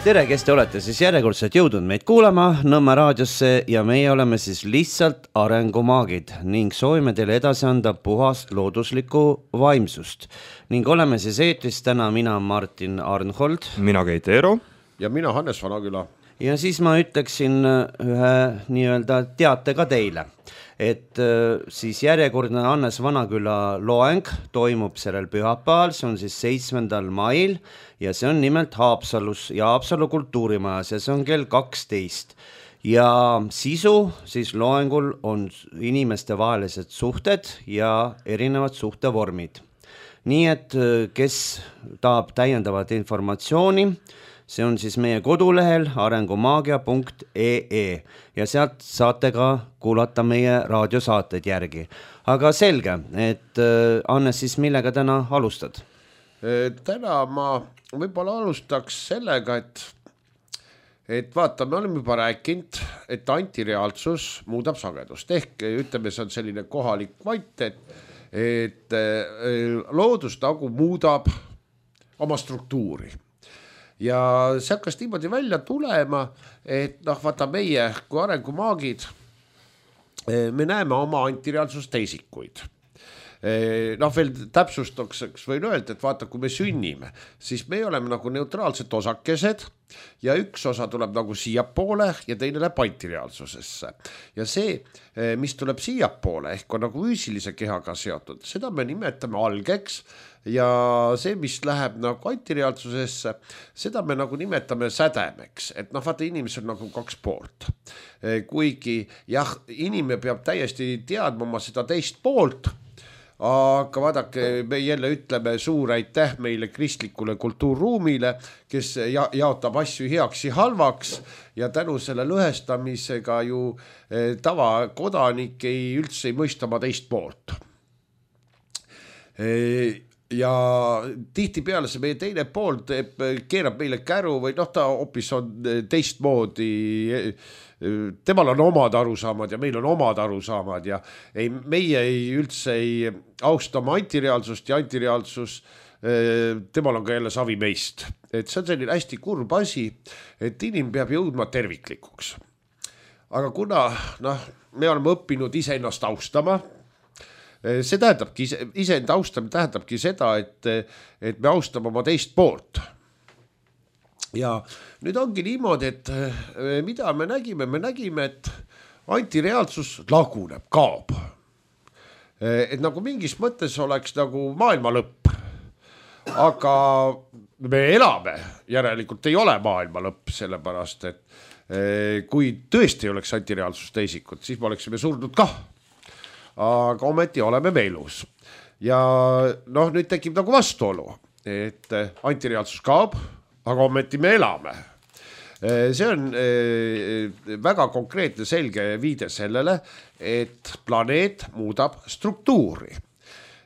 Tere, kes te olete siis järjekordselt jõudnud meid kuulama Nõmme raadiosse ja meie oleme siis lihtsalt arengumaagid ning soovime teile edasi anda puhast looduslikku vaimsust. Ning oleme siis eetris täna mina Martin Arnhold. Mina Keit Eero. Ja mina Hannes Vanaküla. Ja siis ma ütleksin ühe nii-öelda teate ka teile, et siis järjekordne Hannes Vanaküla loeng toimub sellel pühapäeval, see on siis 7. mail ja see on nimelt Haapsalus ja Haapsalu kultuurimajas ja see on kell 12. Ja sisu siis loengul on inimeste vahelised suhted ja erinevad suhtevormid. Nii et kes tahab täiendavat informatsiooni, see on siis meie kodulehel arengumaagia.ee ja sealt saate ka kuulata meie raadiosaated järgi. Aga selge, et Hannes, siis millega täna alustad? Täna ma võib-olla alustaks sellega, et vaata, me oleme juba rääkinud, et antireaalsus muudab sagedust. Ehk ütleme, see on selline kohalik kvant, et loodustagu muudab oma struktuuri. Ja see hakkas niimoodi välja tulema, et vaata meie kui arengumaagid, me näeme oma antireaalsust teisikuid. Veel täpsustaks võin öelda, et vaata, kui me sünnime, siis me oleme nagu neutraalsed osakesed ja üks osa tuleb nagu siiapoole ja teine läheb antireaalsusesse. Ja see, mis tuleb siiapoole, ehk on nagu füüsilise kehaga seotud, seda me nimetame algeks ja see, mis läheb nagu antireaalsusesse, seda me nagu nimetame sädemeks. Et vaata, inimesel on nagu kaks poolt. Kuigi jah, inimene peab täiesti teadma oma seda teist poolt, aga vaadake, me jälle ütleme suur aitäh meile kristlikule kultuurruumile, kes jaotab asju heaks ja halvaks ja tänu selle lõhestamisega ju tavakodanik üldse ei mõista oma teist poolt. Ja tihtipeale see meie teine pool keerab meile käru või ta hoopis on teistmoodi, temal on omad arusaamad ja meil on omad arusaamad ja meie üldse ei austa oma antireaalsust ja antireaalsus, temal on ka jälle savi meist. Et see on selline hästi kurb asi, et inimene peab jõudma terviklikuks. Aga kuna me oleme õppinud iseennast austama, see tähendabki, iseenda austamine tähendabki seda, et me austame oma teist poolt. Ja nüüd ongi niimoodi, et mida me nägime, et antireaalsus laguneb, kaob. Et nagu mingis mõttes oleks nagu maailma lõpp. Aga me elame, järelikult ei ole maailma lõpp, sellepärast, et kui tõesti ei oleks antireaalsus teisikut, siis me oleksime surnud kah. Aga ometi oleme me elus. Ja nüüd tekib nagu vastuolu, et antireaalsus kaob, aga ometi me elame. See on väga konkreetne selge viide sellele, et planeet muudab struktuuri.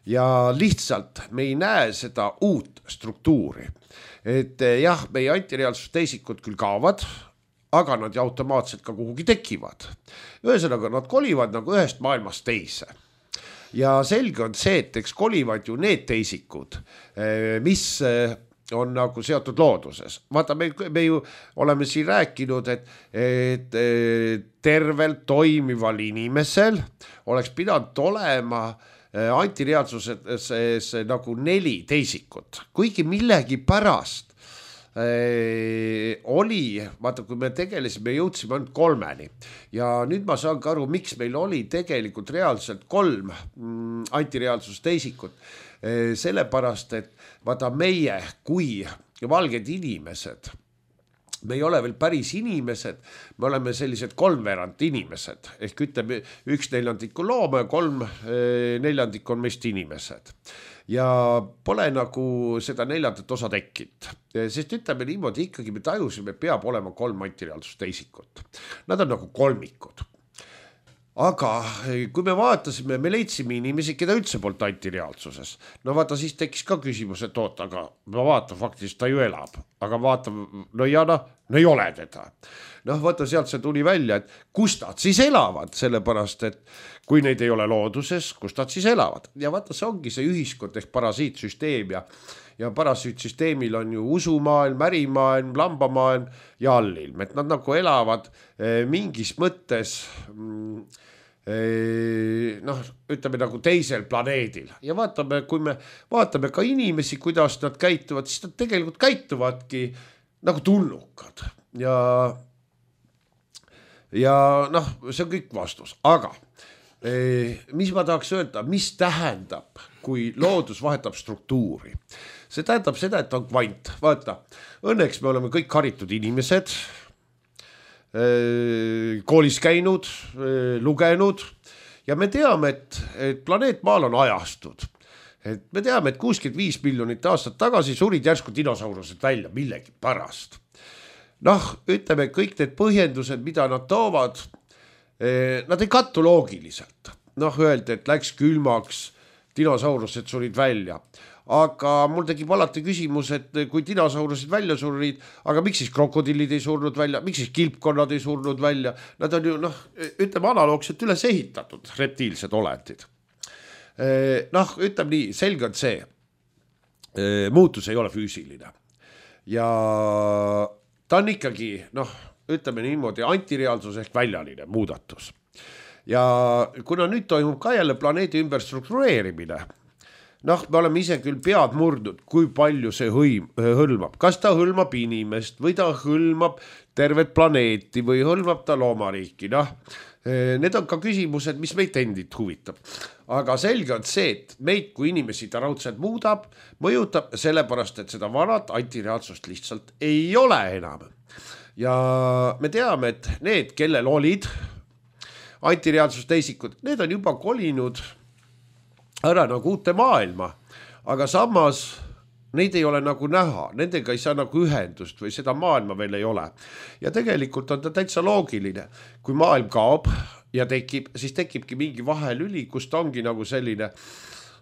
Ja lihtsalt me ei näe seda uut struktuuri. Et jah, meie antireaalsus teisikud küll kaovad, aga nad automaatselt ka kuhugi tekivad. Ühesõnaga, nad kolivad nagu ühest maailmast teise. Ja selge on see, et eks kolivad ju need teisikud, mis on nagu seotud looduses. Vaata, me ju oleme siin rääkinud, et tervelt toimival inimesel oleks pidanud olema antireaalsuses nagu 4 teisikut. Kuigi millegi pärast oli, vaata, kui me tegelesime, jõudsime ainult 3. Ja nüüd ma saan ka aru, miks meil oli tegelikult reaalselt 3 antireaalsus teisikut. Sellepärast, et vaata meie kui valged inimesed, me ei ole veel päris inimesed, me oleme sellised 3/4 inimesed. Ehk ütleme, 1/4 on looma ja 3/4 on meist inimesed. Ja pole nagu seda 4. osa tekkinud. Sest ütleme niimoodi, ikkagi me tajusime, peab olema 3 antireaalsust teisikut. Nad on nagu kolmikud. Aga kui me vaatasime, me leidsime inimesi, keda üldse poolt antireaalsuses. Vaata, siis tekkis ka küsimus, et aga ma vaatan, faktiliselt ta ju elab. Aga vaata, no ei ole teda. Noh, vaata sealt see tuli välja, et kus nad siis elavad, sellepärast, et kui neid ei ole looduses, kus nad siis elavad. Ja vaata, see ongi see ühiskond ehk parasiitsüsteem ja parasiitsüsteemil on ju usumaailm, ärimaailm, lambamaailm ja allilm, et nad nagu elavad mingis mõttes noh, ütleme nagu teisel planeedil ja vaatame, kui me vaatame ka inimesi, kuidas nad käituvad, siis nad tegelikult käituvadki nagu tulnukad ja noh, see on kõik vastus, aga mis ma tahaks öelda, mis tähendab, kui loodus vahetab struktuuri? See tähendab seda, et on kvant, vaata, õnneks me oleme kõik haritud inimesed, koolis käinud, lugenud ja me teame, et planeet Maal on ajastud. Et me teame, et 65 miljonit aastat tagasi surid järsku dinosaurused välja millegi pärast. Noh, ütleme kõik need põhjendused, mida nad toovad, nad ei kattu loogiliselt. Noh, öeldi, et läks külmaks, dinosaurused surid välja. Aga mul tekib alati küsimus, et kui dinosaurused välja surid, aga miks siis krokodillid ei surnud välja, miks siis kilpkonnad ei surnud välja, nad on ju noh, ütleme analoogselt üles ehitatud reptiilsed olendid. Noh, ütleme nii, selge on see, muutus ei ole füüsiline ja ta on ikkagi, noh, ütleme niimoodi antireaalsus ehk väljaline muudatus ja kuna nüüd toimub ka jälle planeedi ümber struktureerimine, noh, me oleme ise küll pead murdnud, kui palju see hõlmab. Kas ta hõlmab inimest või ta hõlmab tervet planeeti või hõlmab ta loomariiki. Noh, need on ka küsimused, mis meid endid huvitab. Aga selge on see, et meid kui inimesi ta raudselt muudab, mõjutab sellepärast, et seda vanat antireaalsust lihtsalt ei ole enam. Ja me teame, et need, kellel olid antireaalsust teisikud, need on juba kolinud ära nagu uute maailma, aga samas neid ei ole nagu näha, nendega ei saa nagu ühendust või seda maailma veel ei ole. Ja tegelikult on ta täitsa loogiline, kui maailm kaob ja tekib, siis tekibki mingi vahelüli, kus ta ongi nagu selline,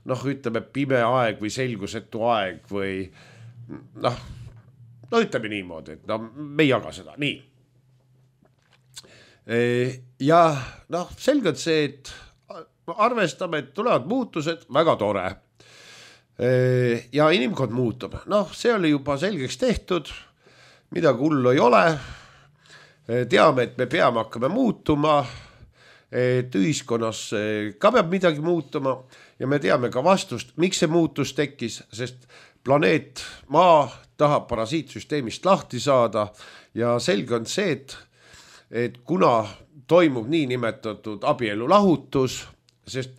noh, ütleme pime aeg või selgusetu aeg või noh, ütleme niimoodi, et no, me ei jaga seda, nii. Ja noh, selgelt see, et arvestame, et tulevad muutused, väga tore. Ja inimkond muutub. Noh, see oli juba selgeks tehtud, midagi hullu ei ole. Teame, et me peame hakkame muutuma, et ühiskonnas ka peab midagi muutuma ja me teame ka vastust, miks see muutus tekkis, sest planeet Maa tahab parasiitsüsteemist lahti saada ja selge on see, et kuna toimub nii nimetatud abielu lahutus, sest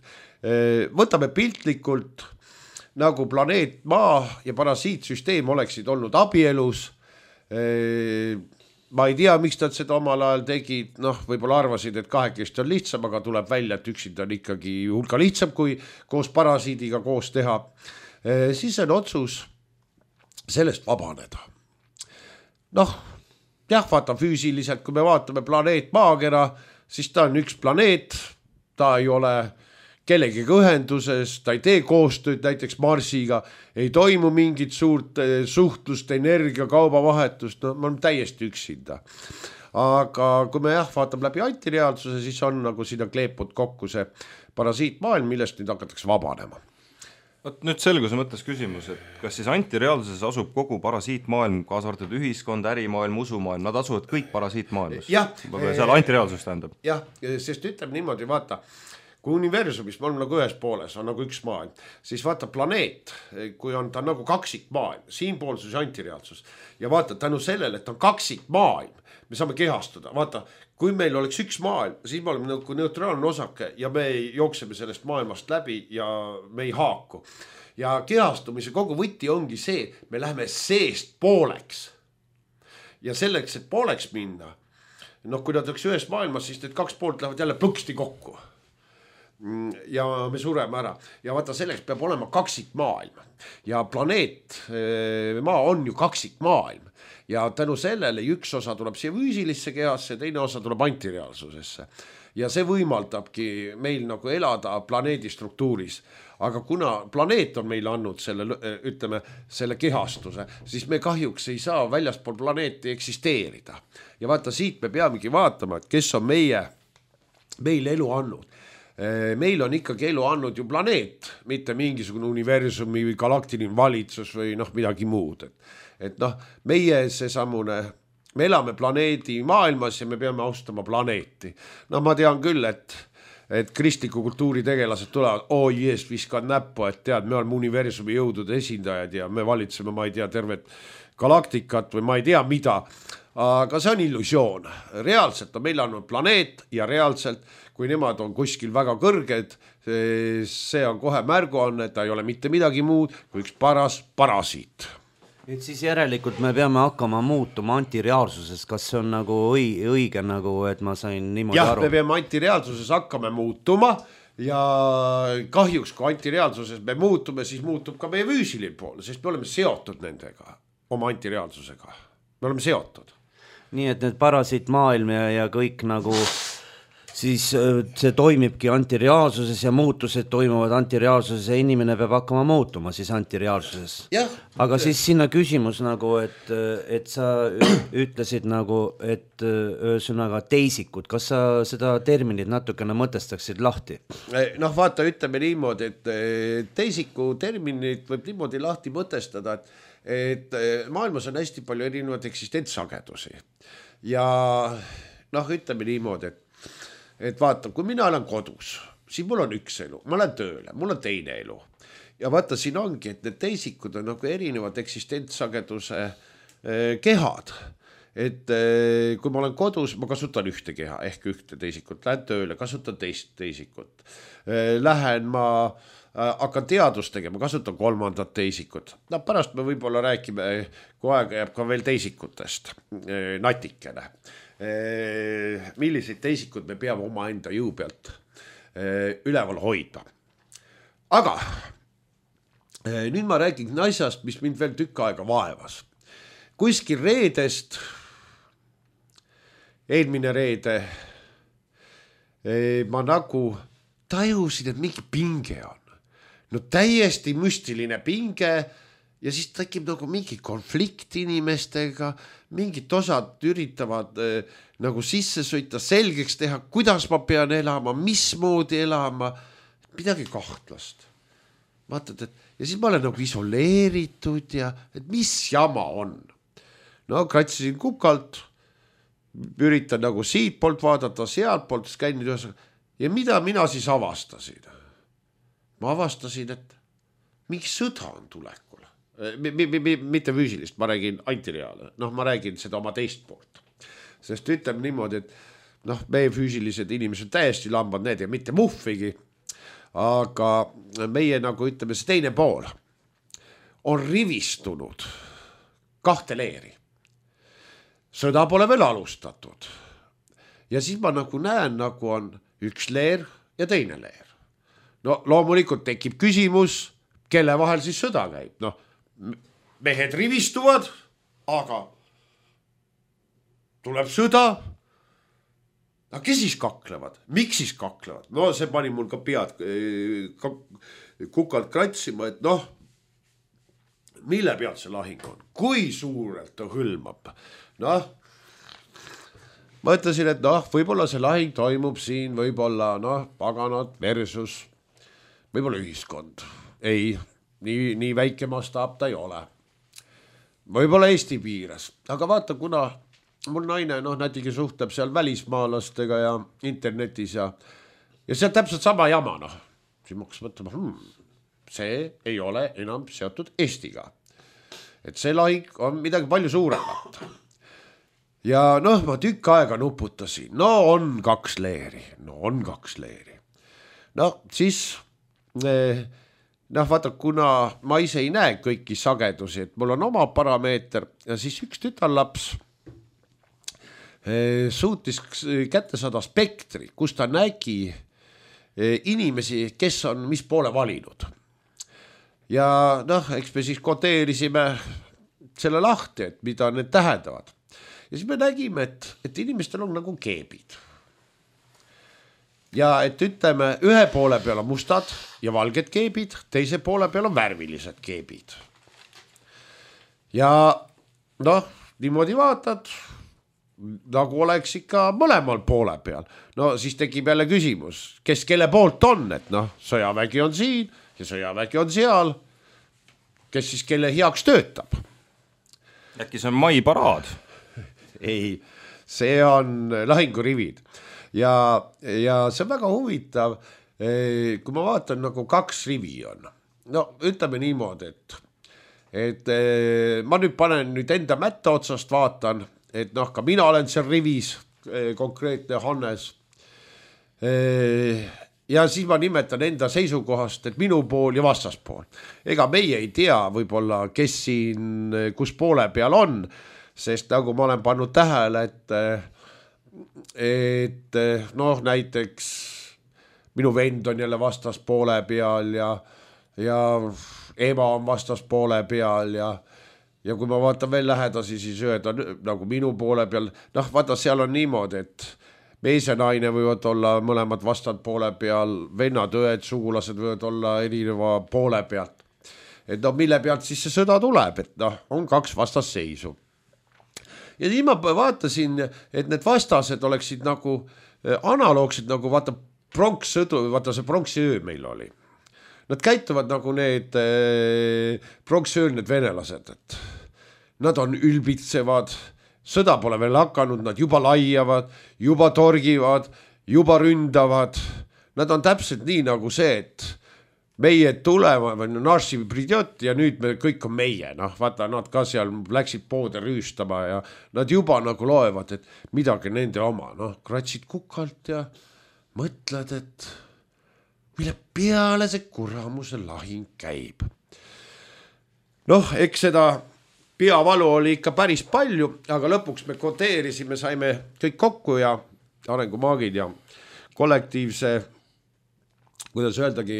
võtame piltlikult nagu planeet Maa ja parasiitsüsteem oleksid olnud abielus. Ma ei tea, miks nad seda omal ajal tegid, noh, võib-olla arvasid, et kahekesti on lihtsam, aga tuleb välja, et üksinda on ikkagi hulka lihtsam, kui koos parasiidiga koos teha. Siis on otsus sellest vabaneda. Noh, jah, vaata füüsiliselt, kui me vaatame planeet Maakera, siis ta on üks planeet, ta ei ole kellegiga ühenduses, ta ei tee koostööd näiteks Marsiga, ei toimu mingit suurt suhtlust, energia, kaubavahetust, no ma olen täiesti üksinda. Aga kui me vaatame läbi antireaalsuse, siis on nagu sinna kleepud kokku see parasiitmaailm, millest nüüd hakatakse vabanema. Nüüd selguse mõttes küsimus, et kas siis antireaalsuses asub kogu parasiitmaailm, kaasa arvatud ühiskond, ärimaailm, usumaailm, nad asuvad kõik parasiitmaailmas? Seal antireaalsus tähendab? Jah, sest ütleb niimoodi, vaata, kui universumis me oleme nagu ühes pooles, on nagu üks maailm, siis vaata planeet, kui on ta nagu kaksikmaailm, siinpoolsus ja antireaalsus ja vaata tänu sellele, et on kaksikmaailm, me saame kehastuda, vaata, kui meil oleks üks maailm, siis me oleme nagu neutraalne osake ja me jookseme sellest maailmast läbi ja me ei haaku. Ja kehastumise kogu võti ongi see, me läheme seest pooleks. Ja selleks, et pooleks minna, noh, kui nad oleks ühes maailmas, siis need kaks poolt lähevad jälle plõksti kokku. Ja me sureme ära. Ja vaata, selleks peab olema kaksikmaailm. Ja planeet Maa on ju kaksikmaailm. ja tänu sellele üks osa tuleb siia füüsilisse kehasse, teine osa tuleb antireaalsusesse ja see võimaldabki meil nagu elada planeedi struktuuris. Aga kuna planeet on meile andnud selle, ütleme, selle kehastuse, siis me kahjuks ei saa väljaspool planeeti eksisteerida. Ja vaata, siit me peamegi vaatama, et kes on meil elu andnud. Meil on ikkagi elu andnud ju planeet, mitte mingisugune universumi või galaktiline valitsus või midagi muud. Et meie seesamune, me elame planeedi maailmas ja me peame austama planeeti. Ma tean küll, et kristliku kultuuri tegelased tulevad, viskad näppu, et tead, me oleme universumi jõudude esindajad ja me valitseme, ma ei tea, tervet galaktikat või ma ei tea mida, aga see on illusioon. Reaalselt on meil andnud planeet ja reaalselt, kui nemad on kuskil väga kõrged, see on kohe märguanne, et ta ei ole mitte midagi muud kui üks paras parasiit. Et siis järelikult me peame hakkama muutuma antireaalsuses, kas see on nagu õige nagu, et ma sain niimoodi aru? Me peame antireaalsuses hakkama muutuma ja kahjuks kui antireaalsuses me muutume, siis muutub ka meie füüsiline pool, sest me oleme seotud nendega, oma antireaalsusega. Me oleme seotud. Nii et need parasiit maailm ja kõik nagu siis see toimibki antireaalsuses ja muutused toimuvad antireaalsuses ja inimene peab hakkama muutuma siis antireaalsuses. Aga siis sinna küsimus nagu, et sa ütlesid nagu, et ühesõnaga teisikud, kas sa seda terminit natukene mõtestaksid lahti? Vaata, ütleme niimoodi, et teisiku terminit võib niimoodi lahti mõtestada, et maailmas on hästi palju erinevaid eksistentssagedusi ja ütleme niimoodi, et vaata, kui mina olen kodus, siis mul on üks elu, ma olen tööle, mul on teine elu. Ja vaata, siin ongi, et need teisikud on nagu erinevad eksistentsageduse kehad. Et kui ma olen kodus, ma kasutan ühte keha, ehk ühte teisikut, lähen tööle, kasutan teist teisikut. Hakkan teadust tegema, kasutan kolmandat teisikut. Pärast me võib-olla räägime, kui aega jääb ka veel teisikutest, natikene. Milliseid teisikud me peame oma enda jõu pealt üleval hoida. Aga nüüd ma räägin asjast, mis mind veel tükk aega vaevas. Kuskil reedest, eelmine reede, ma nagu tajusin, et mingi pinge on. Täiesti müstiline pinge ja siis tekib nagu mingi konflikt inimestega, mingid osad üritavad nagu sisse sõita, selgeks teha, kuidas ma pean elama, mismoodi elama, midagi kahtlast. Vaatad, ja siis ma olen nagu isoleeritud ja et mis jama on. Kratsisin kukalt, üritan nagu siit poolt vaadata, sealt poolt skänni ja mida mina siis avastasin? Ma avastasin, et mingi sõda on tulekul. Mitte füüsilist, ma räägin antireaale. Ma räägin seda oma teist poolt. Sest ütleme niimoodi, et meie füüsilised inimesed täiesti lambad need ja mitte muhvigi, aga meie nagu ütleme, see teine pool on rivistunud kahte leeri. Sõda pole veel alustatud. Ja siis ma nagu näen, nagu on üks leer ja teine leer. Loomulikult tekib küsimus, kelle vahel siis sõda käib. Mehed rivistuvad, aga tuleb sõda. Kes siis kaklevad? Miks siis kaklevad? See pani mul ka pead kukalt kratsima, et mille pealt see lahing on? Kui suurelt ta hõlmab? Ma ütlesin, et võib-olla see lahing toimub siin, võib-olla paganad versus võib-olla ühiskond. Ei, nii väike mastaap ta ei ole. Võib-olla Eesti piires. Aga vaata, kuna mul naine nätigi suhtleb seal välismaalastega ja internetis ja see on täpselt sama jama. Siis ma hakkas mõtlema, see ei ole enam seotud Eestiga. Et see lahing on midagi palju suuremat. Ja ma tükk aega nuputasin. On kaks leeri. Siis vaata, kuna ma ise ei näe kõiki sagedusi, et mul on oma parameeter ja siis üks tütarlaps suutis kätte saada spektri, kus ta nägi inimesi, kes on mis poole valinud. Ja eks me siis koteerisime selle lahti, et mida need tähendavad. Ja siis me nägime, et inimestel on nagu keebid. Ja et ütleme, ühe poole peal on mustad ja valged keebid, teise poole peal on värvilised keebid. Ja noh, niimoodi vaatad, nagu oleks ikka mõlemal poole peal. No siis tekib jälle küsimus, kes kelle poolt on, et noh, sõjavägi on siin ja sõjavägi on seal, kes siis kelle heaks töötab. Äkki see on maiparaad? Ei, see on lahingurivid ja see on väga huvitav, kui ma vaatan nagu 2 rivi on. No ütleme niimoodi, et ma nüüd panen enda mätta otsast vaatan, et noh, ka mina olen seal rivis, konkreetne Hannes. Ja siis ma nimetan enda seisukohast, et minu pool ja vastaspool. Ega meie ei tea võib-olla, kes siin kus poole peal on, sest nagu ma olen pannud tähele, et noh, näiteks minu vend on jälle vastaspoole peal ja ema on vastaspoole peal ja kui ma vaatan veel lähedasi, siis öelda nagu minu poole peal, noh, vaata, seal on niimoodi, et mees ja naine võivad olla mõlemad vastad poole peal, vennad, õed, sugulased võivad olla erineva poole pealt. Et noh, mille pealt siis see sõda tuleb, et noh, on 2 vastasseisu. Ja siis ma vaatasin, et need vastased oleksid nagu analoogsed, nagu vaata pronkssõdu, vaata see pronksiöö meil oli. Nad käituvad nagu need pronksiööl need venelased, et nad on ülbitsevad, sõda pole veel hakanud, nad juba laiavad, juba torgivad, juba ründavad. Nad on täpselt nii nagu see, et meie tulema, naši pridjot ja nüüd me kõik on meie. Noh, vaata, nad ka seal läksid poode rüüstama ja nad juba nagu loevad, et midagi nende oma. Noh, kratsid kukalt ja mõtled, et mille peale see kuramuse lahing käib. Noh, eks seda peavalu oli ikka päris palju, aga lõpuks me kodeerisime, saime kõik kokku ja arengumaagid ja kollektiivse, kuidas öeldagi,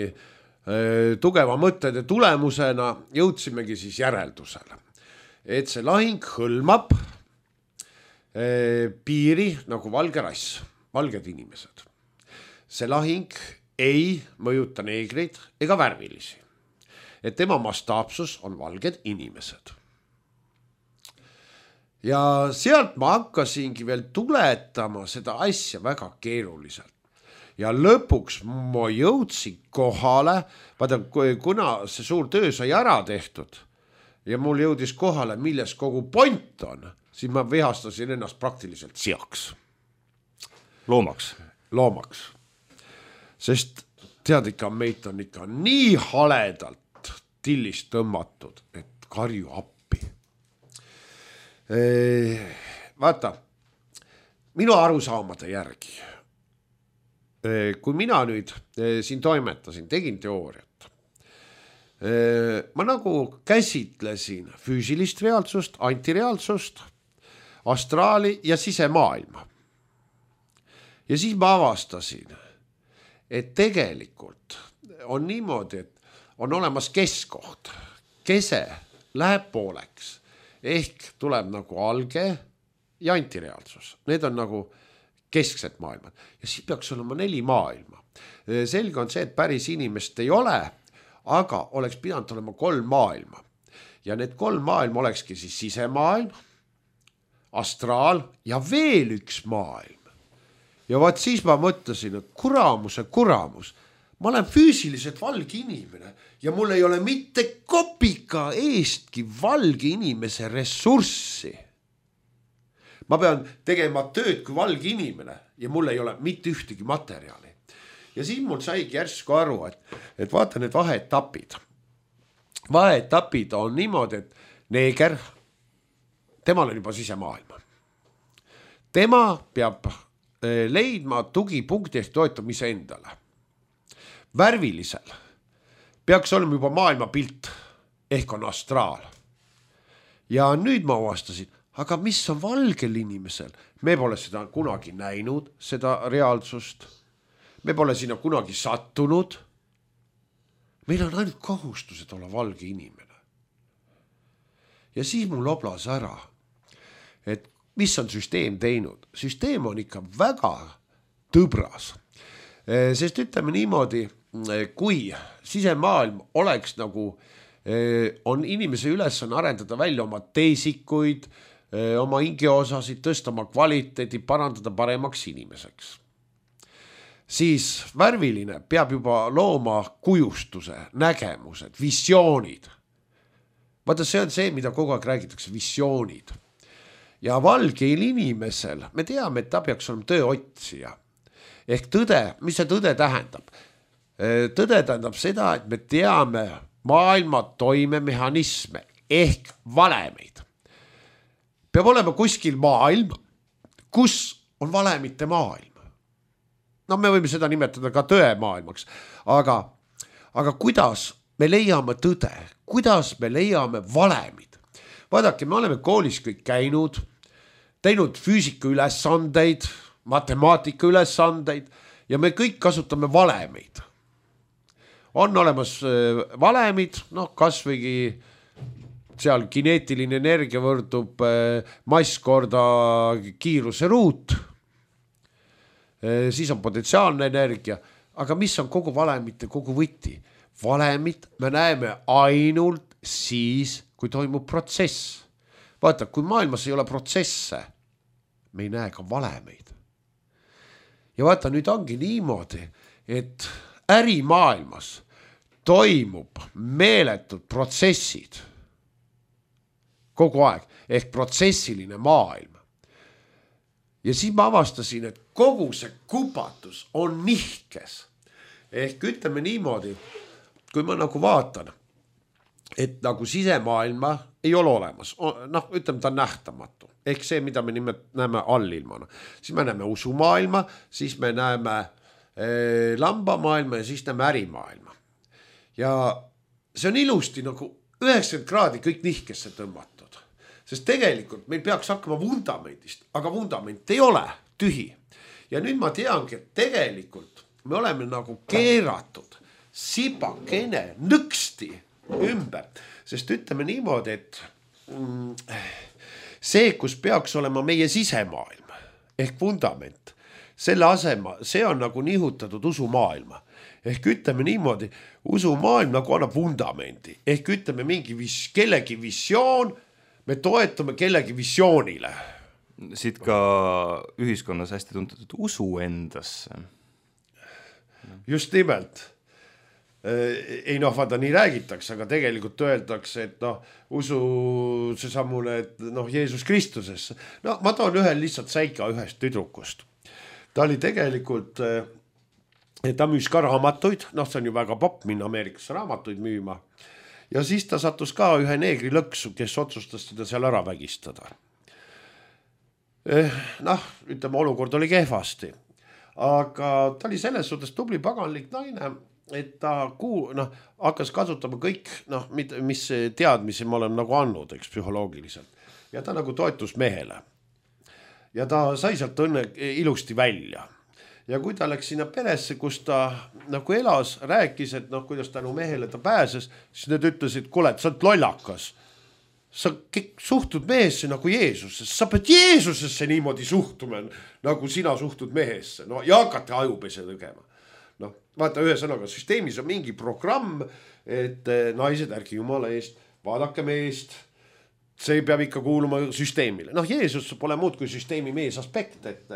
tugeva mõttede tulemusena jõudsimegi siis järeldusele, et see lahing hõlmab piiri nagu valge rass, valged inimesed. See lahing ei mõjuta neegreid ega värvilisi, et tema mastaapsus on valged inimesed. Ja sealt ma hakkasingi veel tuletama seda asja väga keeruliselt. Ja lõpuks ma jõudsin kohale, vaata, kuna see suur töö sai ära tehtud ja mul jõudis kohale, milles kogu point on, siis ma vihastasin ennast praktiliselt seaks. Loomaks. Sest tead ikka, meid on ikka nii haledalt tillist tõmmatud, et karju appi. Vaata, minu arusaamade järgi, kui mina nüüd siin toimetasin, tegin teooriat, ma nagu käsitlesin füüsilist reaalsust, antireaalsust, astraali ja sisemaailma. Ja siis ma avastasin, et tegelikult on niimoodi, et on olemas keskkoht, kese läheb pooleks. Ehk tuleb nagu alge ja antireaalsus. Need on nagu kesksed maailmad. Ja siis peaks olema 4 maailma. Selge on see, et päris inimest ei ole, aga oleks pidanud olema 3 maailma. Ja need 3 maailma olekski siis sisemaailm, astraal ja veel üks maailm. Ja vaat siis ma mõtlesin, et kuramus. Ma olen füüsiliselt valge inimene ja mul ei ole mitte kopika eestki valge inimese ressurssi. Ma pean tegema tööd kui valge inimene ja mul ei ole mitte ühtegi materjali. Ja siis mul saigi järsku aru, et vaata need vaheetapid. Vaheetapid on niimoodi, et neeger, temal on juba sisemaailma. Tema peab leidma tugipunkti ehk toetamise endale. Värvilisel peaks olema juba maailma pilt ehk on astraal. Ja nüüd ma avastasin, aga mis on valgel inimesel? Me pole seda kunagi näinud, seda reaalsust. Me pole sinna kunagi sattunud. Meil on ainult kohustused olla valge inimene. ja siis mul oblas ära, et mis on süsteem teinud. Süsteem on ikka väga tõbras, sest ütleme niimoodi, kui sisemaailm oleks nagu, on inimese ülesanne arendada välja oma teesikuid, oma hingeosasid, tõsta oma kvaliteedi, parandada paremaks inimeseks, siis värviline peab juba looma kujustuse, nägemused, visioonid. Vaata, see on see, mida kogu aeg räägitakse, visioonid. Ja valgeil inimesel, me teame, et ta peaks olema tööotsija. Ehk tõde, mis see tõde tähendab? Tõde tähendab seda, et me teame maailma toimemehhanisme ehk valemeid. Peab olema kuskil maailm, kus on valemite maailm. No me võime seda nimetada ka tõemaailmaks, aga kuidas me leiame tõde, kuidas me leiame valemid? Vaadake, me oleme koolis kõik käinud, teinud füüsika ülesandeid, matemaatika ülesandeid ja me kõik kasutame valemeid. On olemas valemid, kas võigi seal kineetiline energia võrdub mass korda kiiruse ruut, siis on potentsiaalne energia, aga mis on kogu valemite kogu võti? Valemit me näeme ainult siis, kui toimub protsess. Vaata, kui maailmas ei ole protsesse, me ei näe ka valemeid. Ja vaata, nüüd ongi niimoodi, et ärimaailmas toimub meeletud protsessid kogu aeg, ehk protsessiline maailm. Ja siis ma avastasin, et kogu see kupatus on nihkes. Ehk ütleme niimoodi, kui ma nagu vaatan, et nagu sisemaailma ei ole olemas, ütleme ta on nähtamatu, ehk see, mida me näeme allilmana, siis me näeme usumaailma, siis me näeme lambamaailma ja siis näeme ärimaailma. Ja see on ilusti nagu 90 kraadi kõik nihkesse tõmmatud, sest tegelikult meil peaks hakkama vundamendist, aga vundament ei ole tühi. Ja nüüd ma teangi, et tegelikult me oleme nagu keeratud sipakene nõksti ümber, sest ütleme niimoodi, et see, kus peaks olema meie sisemaailm ehk vundament, selle asema, see on nagu nihutatud usumaailma. Ehk ütleme niimoodi, usumaailm nagu annab vundamendi, ehk ütleme mingi kellegi visioon, me toetame kellegi visioonile. Siit ka ühiskonnas hästi tuntud usu endasse. Just nimelt. Ei vaata, nii räägitakse, aga tegelikult öeldakse, et usu see samune, et Jeesus Kristusesse. Ma toon ühe lihtsalt säika ühest tüdrukust. Ta oli tegelikult, ta müüs ka raamatuid, see on ju väga popp minna Ameerikasse raamatuid müüma. Ja siis ta sattus ka ühe neegri lõksu, kes otsustas teda seal ära vägistada. Ütleme, olukord oli kehvasti. Aga ta oli selles suhtes tubli paganlik naine, et ta hakkas kasutama kõik, mis teadmisi ma olen nagu andnud, eks, psühholoogiliselt. Ja ta nagu toetus mehele. Ja ta sai sealt õnne ilusti välja. Ja kui ta läks sinna peresse, kus ta nagu elas, rääkis, et kuidas tänu mehele ta pääses, siis need ütlesid, kuule, et sa oled lollakas. Sa suhtud mehesse nagu Jeesusesse. Sa pead Jeesusesse niimoodi suhtuma, nagu sina suhtud mehesse. Ja hakati ajupese tegema. Vaata, ühe sõnaga, süsteemis on mingi programm, et naised, ärge jumala eest, vaadake meest, see peab ikka kuuluma süsteemile. Jeesus pole muud kui süsteemi mees aspekt, et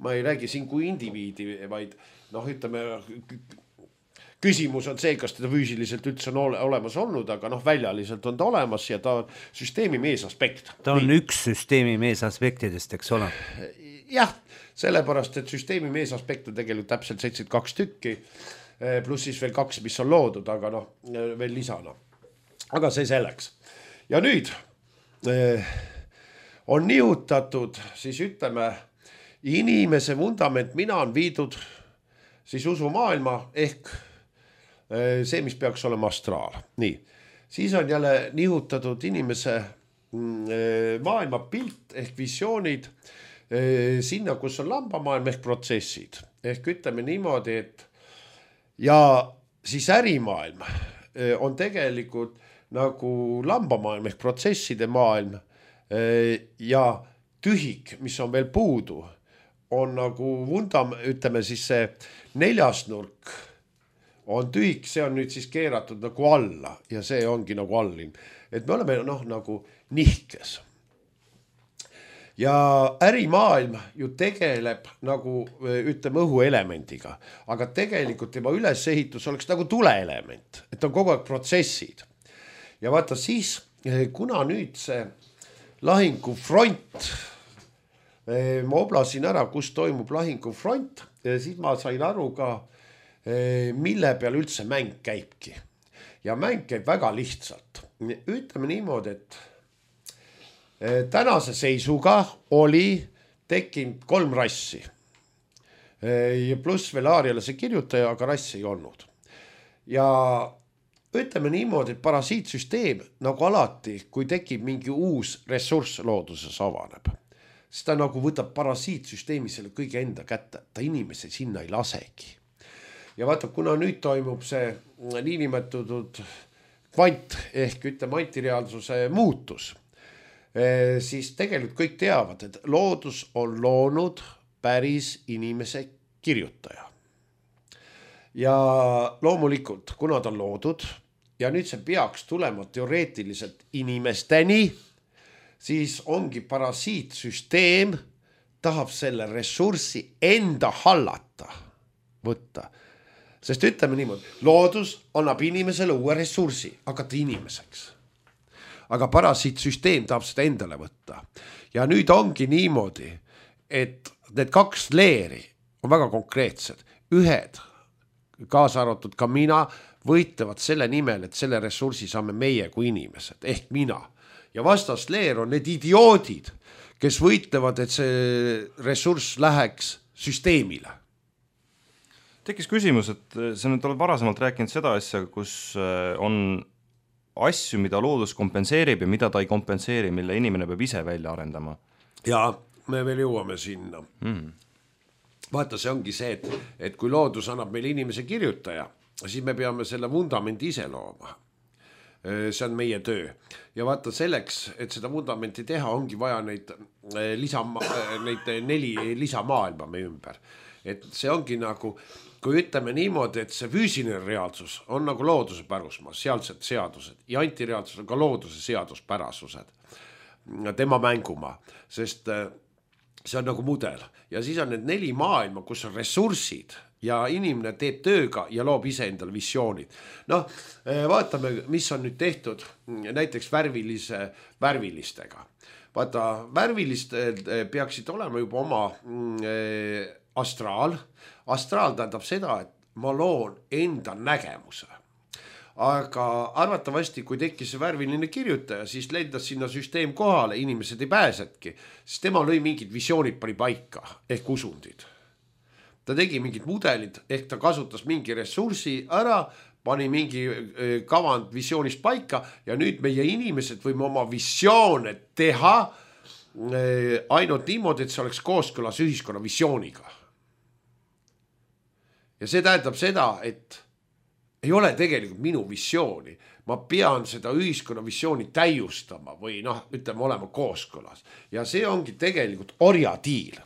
ma ei räägi siin kui indiviidi, vaid ütleme, küsimus on see, kas teda füüsiliselt üldse on olemas olnud, aga väljaliselt on ta olemas ja ta on süsteemi mees aspekt. Ta on üks süsteemi mees aspektidest, eks ole? Jah, sellepärast, et süsteemi mees aspekt on tegelikult täpselt 72 tükki, pluss siis veel 2, mis on loodud, aga veel lisana. Aga see selleks. Ja nüüd on nihutatud, siis ütleme, inimese vundament, mina on viidud siis usumaailma ehk see, mis peaks olema astraal. Nii, siis on jälle nihutatud inimese maailma pilt ehk visioonid sinna, kus on lambamaailm ehk protsessid. Ehk ütleme niimoodi, et ja siis ärimaailm on tegelikult nagu lambamaailm ehk protsesside maailm ja tühik, mis on veel puudu, on nagu ütleme siis see neljasnurk on tühik, see on nüüd siis keeratud nagu alla ja see ongi nagu allin. Et me oleme nagu nihkes. Ja ärimaailm ju tegeleb nagu ütleme õhuelemendiga, aga tegelikult tema ülesehitus oleks nagu tuleelement, et on kogu aeg protsessid. Ja vaata siis, kuna nüüd see lahingufront, ma oblasin ära, kus toimub lahingufront, siis ma sain aru ka, mille peal üldse mäng käibki. Ja mäng käib väga lihtsalt. Ütleme niimoodi, et tänase seisuga oli tekkinud 3 rassi. Ja pluss veel Aariale see kirjutaja, aga rassi ei olnud. Ja ütleme niimoodi, et parasiitsüsteem nagu alati, kui tekib mingi uus ressurss looduses avaneb, siis ta nagu võtab parasiitsüsteemi selle kõige enda kätte, ta inimese sinna ei lasegi. Ja vaata, kuna nüüd toimub see niinimetatud kvant ehk ütleme antireaalsuse muutus, siis tegelikult kõik teavad, et loodus on loonud päris inimese kirjutaja. Ja loomulikult, kuna ta on loodud ja nüüd see peaks tulema teoreetiliselt inimesteni, siis ongi parasiitsüsteem tahab selle ressurssi enda hallata võtta. Sest ütleme niimoodi, loodus annab inimesele uue ressursi, hakata inimeseks. Aga parasiitsüsteem tahab seda endale võtta. Ja nüüd ongi niimoodi, et need 2 leeri on väga konkreetsed. Ühed, kaasa arvatud ka mina, võitlevad selle nimel, et selle ressursi saame meie kui inimesed, ehk mina. Ja vastas leer on need idioodid, kes võitlevad, et see ressurss läheks süsteemile. Tekkis küsimus, et sa nüüd oled varasemalt rääkinud seda asja, kus on asju, mida loodus kompenseerib ja mida ta ei kompenseeri, mille inimene peab ise välja arendama. Ja me veel jõuame sinna. Vaata, see ongi see, et kui loodus annab meile inimese kirjutaja, siis me peame selle vundamendi ise looma. See on meie töö. Ja vaata selleks, et seda vundamenti teha, ongi vaja neid 4 lisamaailma me ümber. Et see ongi nagu, kui ütleme niimoodi, et see füüsiline reaalsus on nagu looduse pärusmaa, sealsed seadused ja antireaalsus on ka looduse seaduspärasused, tema mängumaa, sest see on nagu mudel. Ja siis on need 4 maailma, kus on ressursid ja inimene teeb tööga ja loob ise endale visioonid. Vaatame, mis on nüüd tehtud näiteks värvilistega. Vaata, värvilistel peaksid olema juba oma astraal. Astraal tähendab seda, et ma loon enda nägemuse. Aga arvatavasti, kui tekkis see värviline kirjutaja, siis lendas sinna süsteem kohale, inimesed ei pääsetki, siis tema lõi mingid visioonid pani paika, ehk usundid. Ta tegi mingid mudelid, ehk ta kasutas mingi ressursi ära, pani mingi kavand visioonist paika ja nüüd meie inimesed võime oma visioone teha ainult niimoodi, et see oleks kooskõlas ühiskonna visiooniga. Ja see tähendab seda, et ei ole tegelikult minu visiooni. Ma pean seda ühiskonna visiooni täiustama või ütleme olema kooskõlas. Ja see ongi tegelikult orjadiil.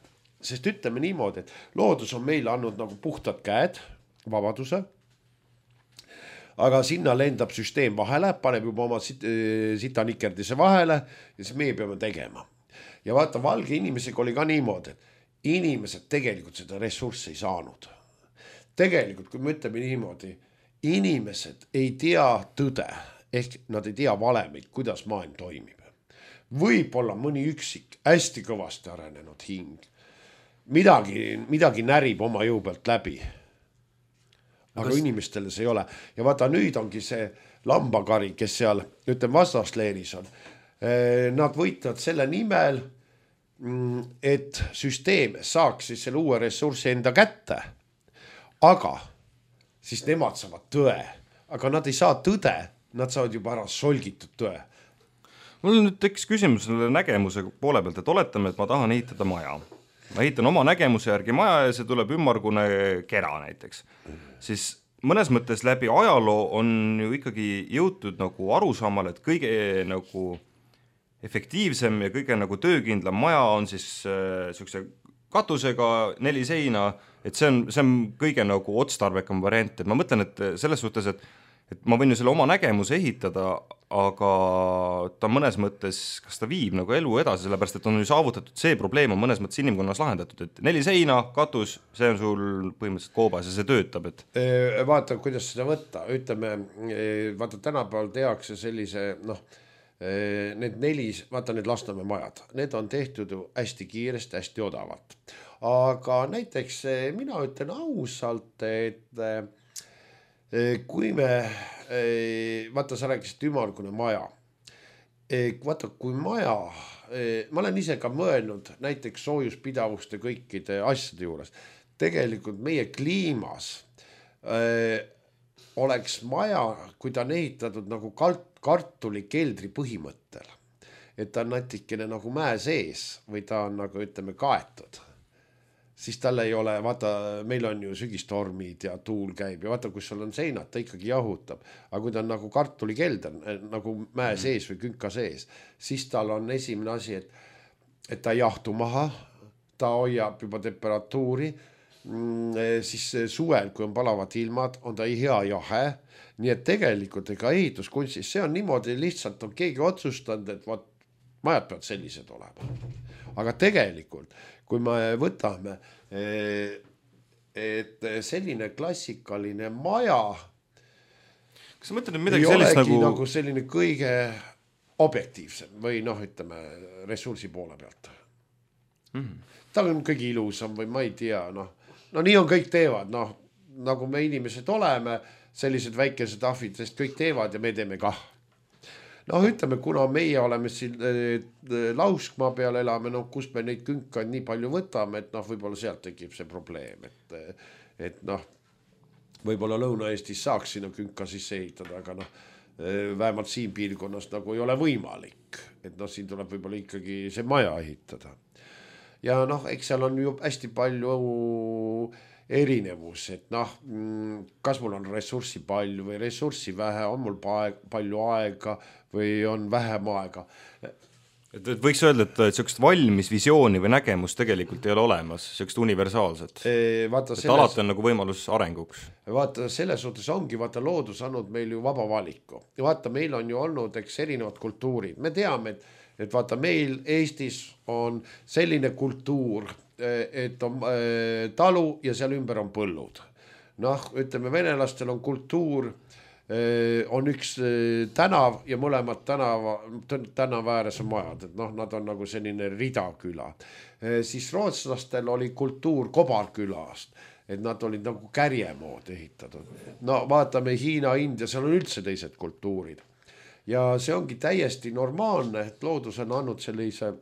Sest ütleme niimoodi, et loodus on meile andnud nagu puhtad käed, vabaduse. Aga sinna lendab süsteem vahele, paneb juba oma sitanikerdise vahele ja siis meie peame tegema. Ja vaata, valge inimesega oli ka niimoodi, et inimesed tegelikult seda ressurssi ei saanud. Tegelikult, kui me ütleme niimoodi, inimesed ei tea tõde, ehk nad ei tea valemeid, kuidas maailm toimib. Võib-olla mõni üksik, hästi kõvasti arenenud hing. Midagi närib oma jõu pealt läbi. Aga inimestele see ei ole. Ja vaata, nüüd ongi see lambakari, kes seal, ütleme, vastasleeris on. Nad võitlevad selle nimel, et süsteem saaks siis selle uue ressurssi enda kätte. Aga siis nemad saavad tõe, aga nad ei saa tõde, nad saavad juba ära solgitud tõe. Mul nüüd tekkis küsimus selle nägemuse poole pealt, et oletame, et ma tahan ehitada maja. Ma ehitan oma nägemuse järgi maja ja see tuleb ümmargune kera näiteks. Siis mõnes mõttes läbi ajaloo on ju ikkagi jõutud nagu arusaamale, et kõige nagu efektiivsem ja kõige nagu töökindlam maja on siis niisuguse katusega 4 seina, et see on kõige nagu otstarbekam variant, et ma mõtlen, et selles suhtes, et ma võin ju selle oma nägemuse ehitada, aga ta mõnes mõttes, kas ta viib nagu elu edasi, sellepärast et on ju saavutatud see probleem on mõnes mõttes inimkonnas lahendatud, et 4 seina, katus, see on sul põhimõtteliselt koobas ja see töötab, et vaata, kuidas seda võtta, ütleme, vaata tänapäeval tehakse sellise, need 4, vaata need Lasnamäe majad, need on tehtud hästi kiiresti, hästi odavalt, aga näiteks mina ütlen ausalt, et kui me, vaata sa rääkisid ümmargune maja, vaata kui maja, ma olen ise ka mõelnud näiteks soojuspidavuste kõikide asjade juures, tegelikult meie kliimas oleks maja, kui ta on ehitatud nagu kartulikeldri põhimõttel, et ta on natikene nagu mäe sees või ta on nagu ütleme kaetud, siis tal ei ole, vaata, meil on ju sügistormid ja tuul käib ja vaata, kus sul on seinad, ta ikkagi jahutab. Aga kui ta on nagu kartulikelder, nagu mäe sees või künka sees, siis tal on esimene asi, et ta jahtu maha, ta hoiab juba temperatuuri, siis suvel, kui on palavad ilmad, on ta hea jahe, nii et tegelikult ega ehituskunstis, see on niimoodi lihtsalt, on keegi otsustanud, et vaat, majad peavad sellised olema. Aga tegelikult, kui me võtame, et selline klassikaline maja kas sa mõtled midagi sellist nagu selline kõige objektiivsem või ütleme ressursi poole pealt. Ta on kõige ilusam või ma ei tea, nii on kõik teevad, nagu me inimesed oleme, sellised väikesed ahvid, sest kõik teevad ja me teeme kah. Ütleme, kuna meie oleme siin Lauskmaa peal elame, kus me neid künkaid nii palju võtame, et võib-olla sealt tekib see probleem, et võib-olla Lõuna-Eestis saaks sinna künka sisse ehitada, aga vähemalt siin piirkonnas nagu ei ole võimalik, et siin tuleb võib-olla ikkagi see maja ehitada. Ja eks seal on ju hästi palju erinevus, et kas mul on ressurssi palju või ressurssi vähe, on mul palju aega või on vähem aega. Et võiks öelda, et sellist valmis visiooni või nägemust tegelikult ei ole olemas, sellist universaalset. Alati on nagu võimalus arenguks. Vaata, selles suhtes ongi, loodus andnud meil ju vaba valiku. Ja vaata, meil on ju olnud erinevad kultuurid. Me teame, et vaata, meil Eestis on selline kultuur, et on talu ja seal ümber on põllud. Ütleme, venelastel on kultuur, on üks tänav ja mõlemad tänava ääres on majad, et nad on nagu selline ridaküla. Siis rootslastel oli kultuur kobarkülast, et nad olid nagu kärjemood ehitatud. Vaatame Hiina, India, seal on üldse teised kultuurid. Ja see ongi täiesti normaalne, et loodus on andnud sellise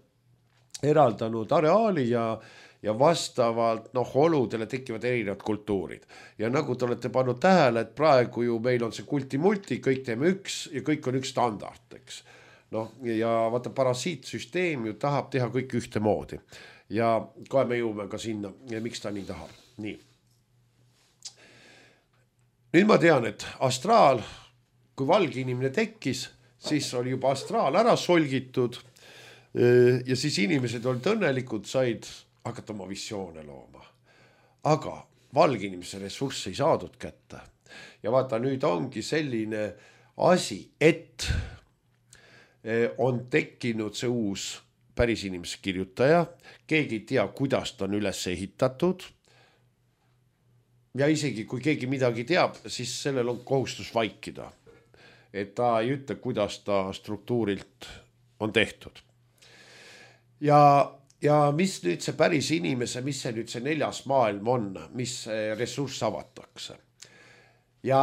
eraldanud areaali ja vastavalt oludele tekivad erinevad kultuurid. Ja nagu te olete pannud tähele, et praegu ju meil on see kulti-multi, kõik teeme üks ja kõik on üks standard, eks. Ja vaata, parasiitsüsteem ju tahab teha kõik ühte moodi. Ja kohe me jõume ka sinna, miks ta nii tahab. Nii. Nüüd ma tean, et astraal, kui valge inimene tekkis, siis oli juba astraal ära solgitud ja siis inimesed olid õnnelikud, said hakata oma visioone looma. Aga valge inimese ressursse ei saadud kätte. Ja vaata, nüüd ongi selline asi, et on tekkinud see uus päris inimese kirjutaja, keegi ei tea, kuidas ta on üles ehitatud. Ja isegi kui keegi midagi teab, siis sellel on kohustus vaikida. Et ta ei ütle, kuidas ta struktuurilt on tehtud. Ja mis nüüd see päris inimese, mis see nüüd see 4. maailm on, mis ressurss avatakse. Ja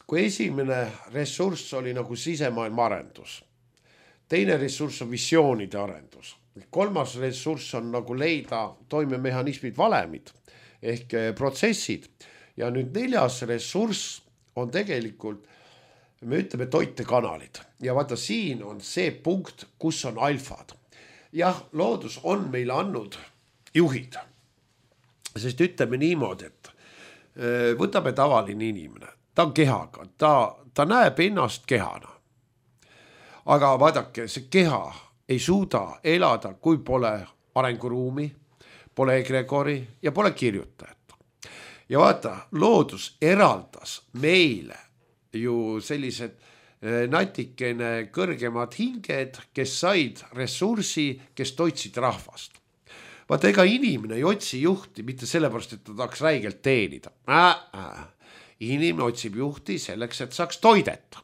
kui esimene ressurss oli nagu sisemaailma arendus, teine ressurss on visioonide arendus, 3. ressurss on nagu leida toimemehhanismid, valemid ehk protsessid ja nüüd 4. ressurss on tegelikult, me ütleme toitekanalid ja vaata, siin on see punkt, kus on alfad. Jah, loodus on meile andnud juhid, sest ütleme niimoodi, et võtame tavaline inimene, ta on kehaga, ta näeb ennast kehana. Aga vaadake, see keha ei suuda elada, kui pole arenguruumi, pole egregori ja pole kirjutajat. Ja vaata, loodus eraldas meile ju sellised natikene kõrgemad hinged, kes said ressursi, kes toitsid rahvast. Vaata, ega inimene ei otsi juhti mitte sellepärast, et ta tahaks räigelt teenida. Inimene otsib juhti selleks, et saaks toideta.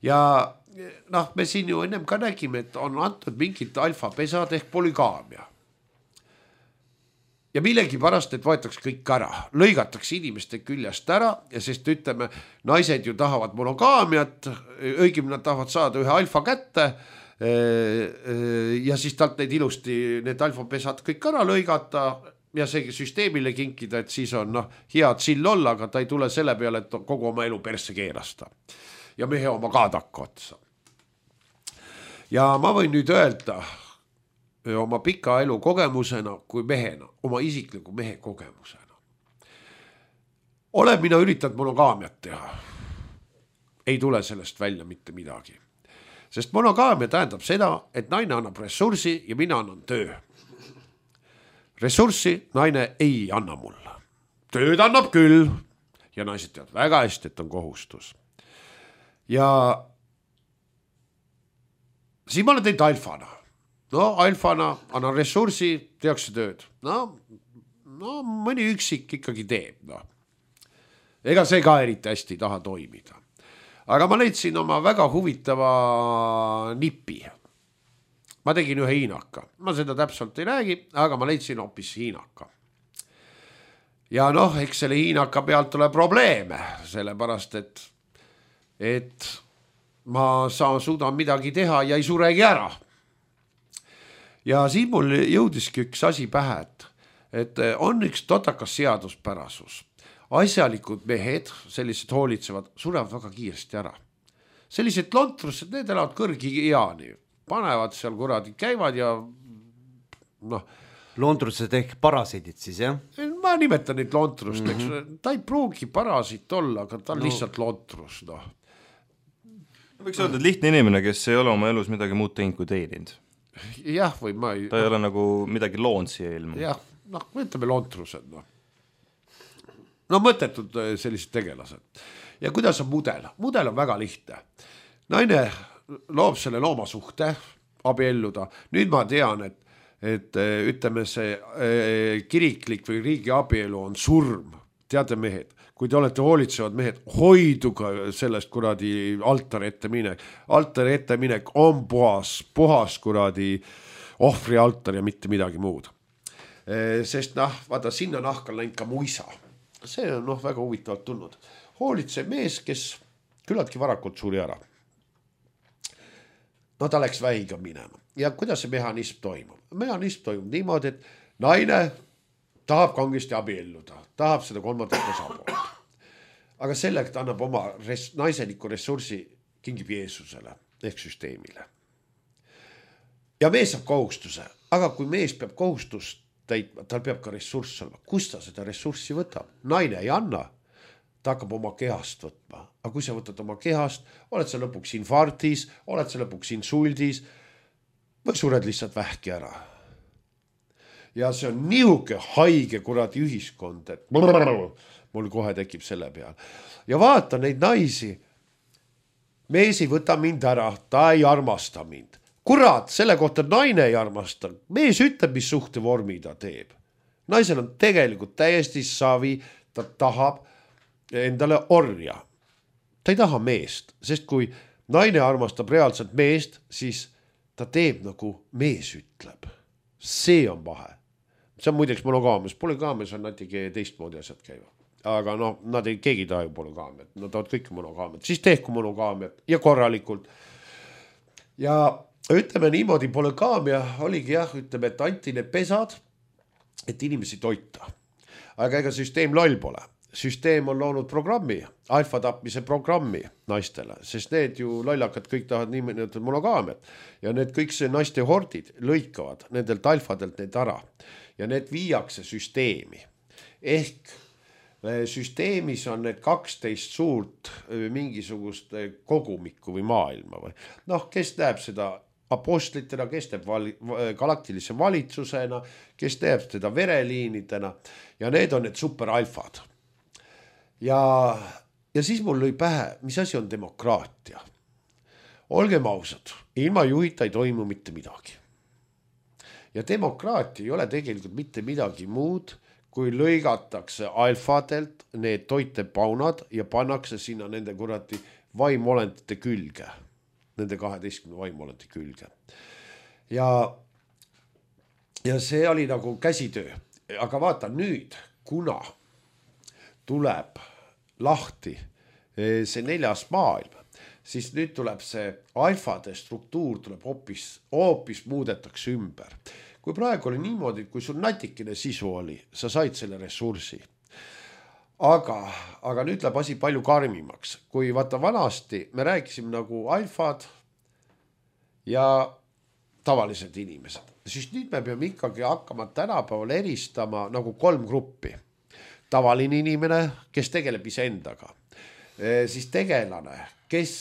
Ja noh, me siin ju ennem ka nägime, et on antud mingid alfapesad ehk polügaamia. Ja millegi pärast, et võetakse kõik ära, lõigatakse inimeste küljest ära ja sest ütleme, naised ju tahavad monogaamiat, õigem nad tahavad saada ühe alfa kätte ja siis talt neid ilusti need alfapesad kõik ära lõigata ja see süsteemile kinkida, et siis on head sill olla, aga ta ei tule selle peale, et kogu oma elu persse keerasta ja mehe oma ka takka otsa. Ja ma võin nüüd öelda oma pika elu kogemusena kui mehena, oma isikliku mehe kogemusena. Olen mina üritanud monogaamiat teha. Ei tule sellest välja mitte midagi. Sest monogaamia tähendab seda, et naine annab ressursi ja mina annan töö. Ressurssi naine ei anna mulle. Tööd annab küll ja naised teavad väga hästi, et on kohustus. Ja siin ma olen teinud alfana. No alfana annan ressursi, tehakse tööd. No mõni üksik ikkagi teeb. No. Ega see ka eriti hästi ei taha toimida. Aga ma leidsin oma väga huvitava nipi. Ma tegin ühe hiinaka. Ma seda täpselt ei räägi, aga ma leidsin hoopis hiinaka. Ja noh, eks selle hiinaka pealt tuleb probleeme, sellepärast et ma suudan midagi teha ja ei suregi ära. Ja siin mul jõudiski üks asi pähe, et on üks totakas seaduspärasus. Asjalikud mehed, sellised hoolitsevad, surevad väga kiiresti ära. Sellised lontrused, need elavad kõrgi eani. Panevad seal kuradi, käivad ja noh. Lontrused ehk parasiidid siis, jah? Ma nimetan neid lontrust, ta ei pruugi parasiit olla, aga ta on lihtsalt lontrus. No. Võiks öelda, et lihtne inimene, kes ei ole oma elus midagi muud teinud kui teeninud. Jah, või ma ei... Ta ei ole nagu midagi loond siia ilma. Jah, noh, ütleme lontrused. No mõttetud sellised tegelased. Ja kuidas on mudel? Mudel on väga lihtne. Naine loob selle loomasuhte, abielluda. Nüüd ma tean, et ütleme see kiriklik või riigi abielu on surm. Teate mehed, kui te olete hoolitsevad mehed, hoiduga sellest kuradi altari ette minek. Altari ette minek on puhas kuradi ohvri altar ja mitte midagi muud. Sest vaata, sinna nahka läinud ka muisa. See on väga huvitavalt tulnud. Hoolitsev mees, kes küllaltki varakult suri ära. No ta läks vähiga minema. Ja kuidas see mehhanism toimub? Mehhanism toimub niimoodi, et naine tahab kangesti abielluda, tahab seda kolmandat osapoolt. Aga selleks ta annab oma naiseliku ressursi kingib Jeesusele ehk süsteemile. Ja mees saab kohustuse, aga kui mees peab kohustust täitma, tal peab ka ressurss olema. Kust ta seda ressurssi võtab? Naine ei anna, ta hakkab oma kehast võtma. Aga kui sa võtad oma kehast, oled sa lõpuks infarktis, oled sa lõpuks insuldis või sured lihtsalt vähki ära. Ja see on nihuke haige kuradi ühiskond, et mul kohe tekib selle peal. Ja vaata neid naisi, mees ei võta mind ära, ta ei armasta mind. Kurat, selle kohta naine ei armasta. Mees ütleb, mis suhtevormi ta teeb. Naisel on tegelikult täiesti savi, ta tahab endale orja. Ta ei taha meest, sest kui naine armastab reaalselt meest, siis ta teeb nagu mees ütleb. See on vahe. See on muideks monogaamias. Polygaamias on natuke teistmoodi asjad käivad. Aga keegi ei taha ju monogaamiat. Nad tahavad kõik monogaamiat. Siis tehku monogaamiat ja korralikult. Ja ütleme niimoodi, polygaamia oligi ütleme, et anti need pesad, et inimesi toita. Aga ega süsteem loll pole. Süsteem on loonud programmi, alfa tapmise programmi naistele, sest need ju lollakad kõik tahavad niimoodi monogaamiat. Ja need kõik see naiste hordid lõikavad nendelt alfadelt need ära. Ja need viiakse süsteemi. Ehk süsteemis on need 12 suurt mingisugust kogumikku või maailma või noh, kes näeb seda apostlitena, kes teeb galaktilise valitsusena, kes teeb seda vereliinidena ja need on need superalfad. Ja siis mul lõi pähe, mis asi on demokraatia. Olgem ausad, ilma juhita ei toimu mitte midagi. Ja demokraatia ei ole tegelikult mitte midagi muud, kui lõigatakse alfadelt need toitepaunad ja pannakse sinna nende kurati vaimolentide külge. Nende 12 vaimolenti külge. Ja see oli nagu käsitöö. Aga vaata nüüd, kuna tuleb lahti see 4. maailm, siis nüüd tuleb see alfade struktuur tuleb hoopis muudetakse ümber. Kui praegu oli niimoodi, kui sul natikene sisu oli, sa said selle ressursi. Aga nüüd läheb asi palju karmimaks. Kui vaata vanasti me rääkisime nagu alfad ja tavalised inimesed, siis nüüd me peame ikkagi hakkama tänapäeval eristama nagu 3 gruppi. Tavaline inimene, kes tegeleb iseendaga, siis tegelane, kes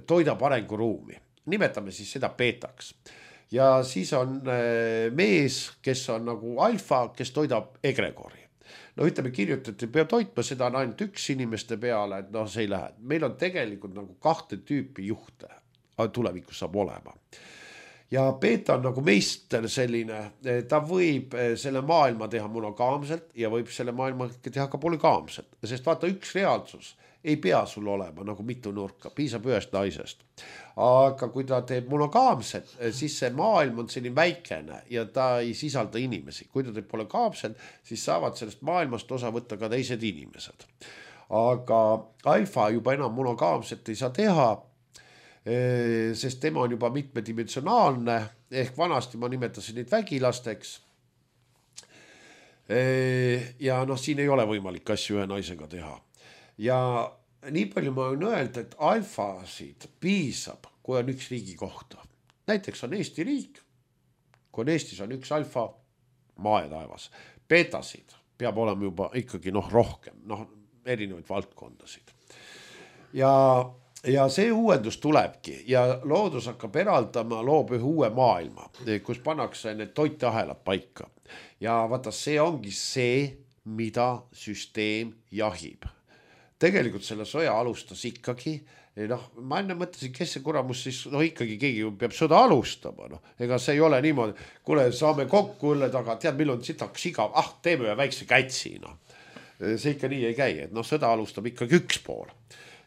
toidab arenguruumi. Nimetame siis seda beetaks. Ja siis on mees, kes on nagu alfa, kes toidab egregori. No ütleme kirjutati, peab toitma seda ainult 1 inimeste peale, et see ei lähe. Meil on tegelikult nagu 2 tüüpi juhte, tulevikus saab olema. Ja beeta on nagu meister selline, ta võib selle maailma teha monogaamselt ja võib selle maailma teha ka polygaamselt. Sest vaata, üks reaalsus ei pea sul olema nagu mitu nurka, piisab 1 naisest. Aga kui ta teeb monogaamset, siis see maailm on selline väikene ja ta ei sisalda inimesi. Kui ta teeb polygaamset, siis saavad sellest maailmast osa võtta ka teised inimesed. Aga alfa juba enam monogaamset ei saa teha, sest tema on juba mitmedimensionaalne, ehk vanasti ma nimetasin neid vägilasteks. Ja siin ei ole võimalik asju 1 naisega teha. Ja nii palju ma võin öelda, et alfasid piisab, kui on 1 riigi kohta. Näiteks on Eesti riik, kui on Eestis on 1 alfa, maa ja taevas. Beetasid peab olema juba ikkagi rohkem, erinevaid valdkondasid. Ja see uuendus tulebki ja loodus hakkab eraldama, loob ühe uue maailma, kus pannakse need toiteahelad paika. Ja vaata, see ongi see, mida süsteem jahib. Tegelikult selle sõja alustas ikkagi, ma enne mõtlesin, kes see kuramus siis, ikkagi keegi peab sõda alustama, ega see ei ole niimoodi, kuule, saame kokku õlle taga, tead, meil on sitaks igav, teeme ühe väikse kätsi, see ikka nii ei käi, et sõda alustab ikkagi 1 pool.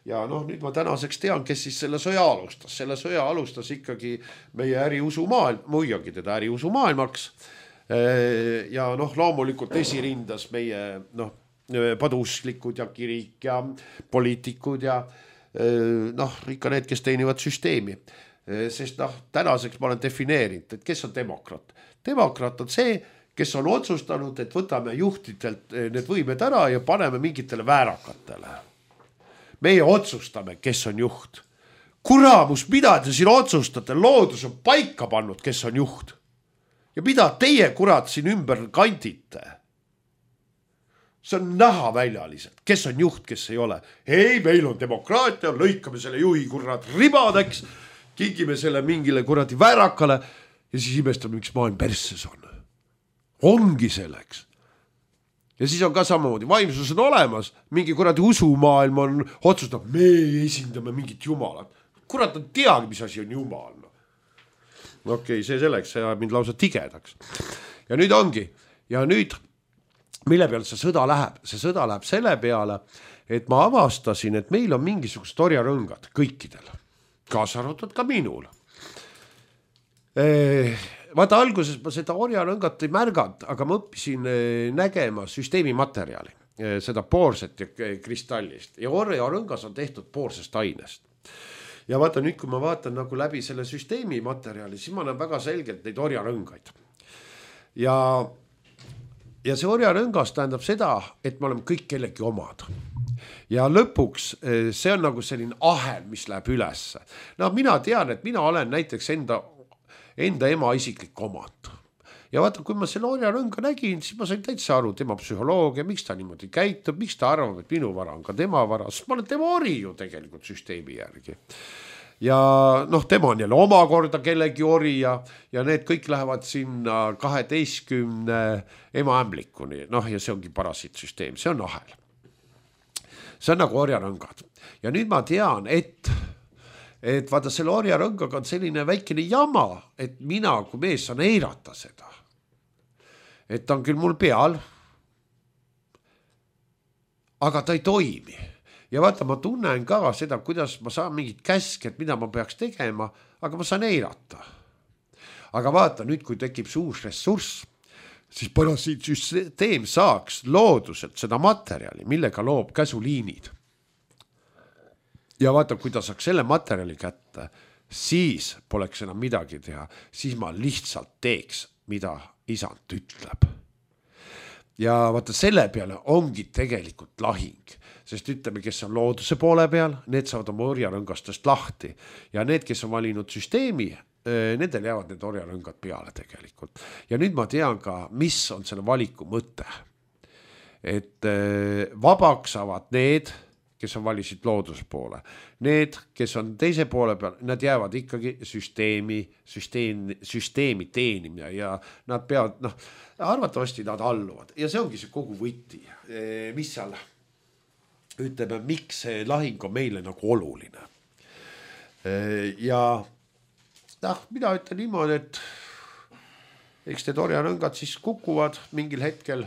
Ja nüüd ma tänaseks tean, kes siis selle sõja alustas. Selle sõja alustas ikkagi meie äriusumaailm, muidugi teda äriusumaailmaks. Ja loomulikult esirindas meie padusklikud ja kirik ja poliitikud ja ikka need, kes teenivad süsteemi. Sest tänaseks ma olen defineerinud, et kes on demokraat. Demokraat on see, kes on otsustanud, et võtame juhtidelt need võimed ära ja paneme mingitele väärakatele. Meie otsustame, kes on juht. Kuramus, mida te siin otsustate? Loodus on paika pannud, kes on juht. Ja mida teie kurat siin ümber kandite? See on näha väljaliselt, kes on juht, kes ei ole. Ei, meil on demokraatia, lõikame selle juhi kurat ribadeks, kingime selle mingile kuradi väärakale ja siis imestame, miks maailm persses on. Ongi selleks. Ja siis on ka samamoodi, vaimsus on olemas, mingi kuradi usumaailm on otsustab, me esindame mingit jumalat. Kurat on teagi, mis asi on jumal. Okei, see selleks, see mind lausa tigedaks. Ja nüüd ongi, ja nüüd mille peale see sõda läheb? See sõda läheb selle peale, et ma avastasin, et meil on mingisugust orjarõngad kõikidel, kaasa arvatud ka minul. Vaata, alguses ma seda orjarõngat ei märganud, aga ma õppisin nägema süsteemi materjali, seda poorset ja kristallist. Ja orjarõngas on tehtud poorsest ainest. Ja vaata nüüd, kui ma vaatan nagu läbi selle süsteemi materjali, siis ma näen väga selgelt neid orjarõngaid. Ja see orjarõngas tähendab seda, et me oleme kõik kellegi omad. Ja lõpuks see on nagu selline ahel, mis läheb ülesse. Mina tean, et mina olen näiteks enda ema isiklik omand. ja vaata, kui ma selle orjarõnga nägin, siis ma sain täitsa aru tema psühholoogia, miks ta niimoodi käitub, miks ta arvab, et minu vara on ka tema vara, sest ma olen tema ori ju tegelikult süsteemi järgi. Ja noh, tema on jälle omakorda kellegi ori ja need kõik lähevad sinna 12 emaämblikuni, noh ja see ongi parasiitsüsteem, see on ahel. See on nagu orjarõngad. Ja nüüd ma tean, et vaata selle orjarõngaga on selline väikene jama, et mina kui mees saan eirata seda. Et ta on küll mul peal, aga ta ei toimi. Ja vaata, ma tunnen ka seda, kuidas ma saan mingit käske, et mida ma peaks tegema, aga ma saan eirata. Aga vaata, nüüd kui tekib see uus ressurss, siis parasiitsüsteem saaks looduselt seda materjali, millega loob käsuliinid. Ja vaata, kui ta saaks selle materjali kätte, siis poleks enam midagi teha, siis ma lihtsalt teeks, mida isand ütleb. Ja vaata, selle peale ongi tegelikult lahing, sest ütleme, kes on looduse poole peal, need saavad oma orjarõngastest lahti ja need, kes on valinud süsteemi, nendel jäävad need orjarõngad peale tegelikult. Ja nüüd ma tean ka, mis on selle valiku mõte. Et vabaks saavad need, kes on valisid looduse poole. Need, kes on teise poole peal, nad jäävad ikkagi süsteemi teenimine ja nad peavad, arvatavasti nad alluvad. Ja see ongi see kogu võti, mis seal ütleme, miks see lahing on meile nagu oluline. Ja mina ütlen niimoodi, et eks need orjarõngad siis kukuvad mingil hetkel,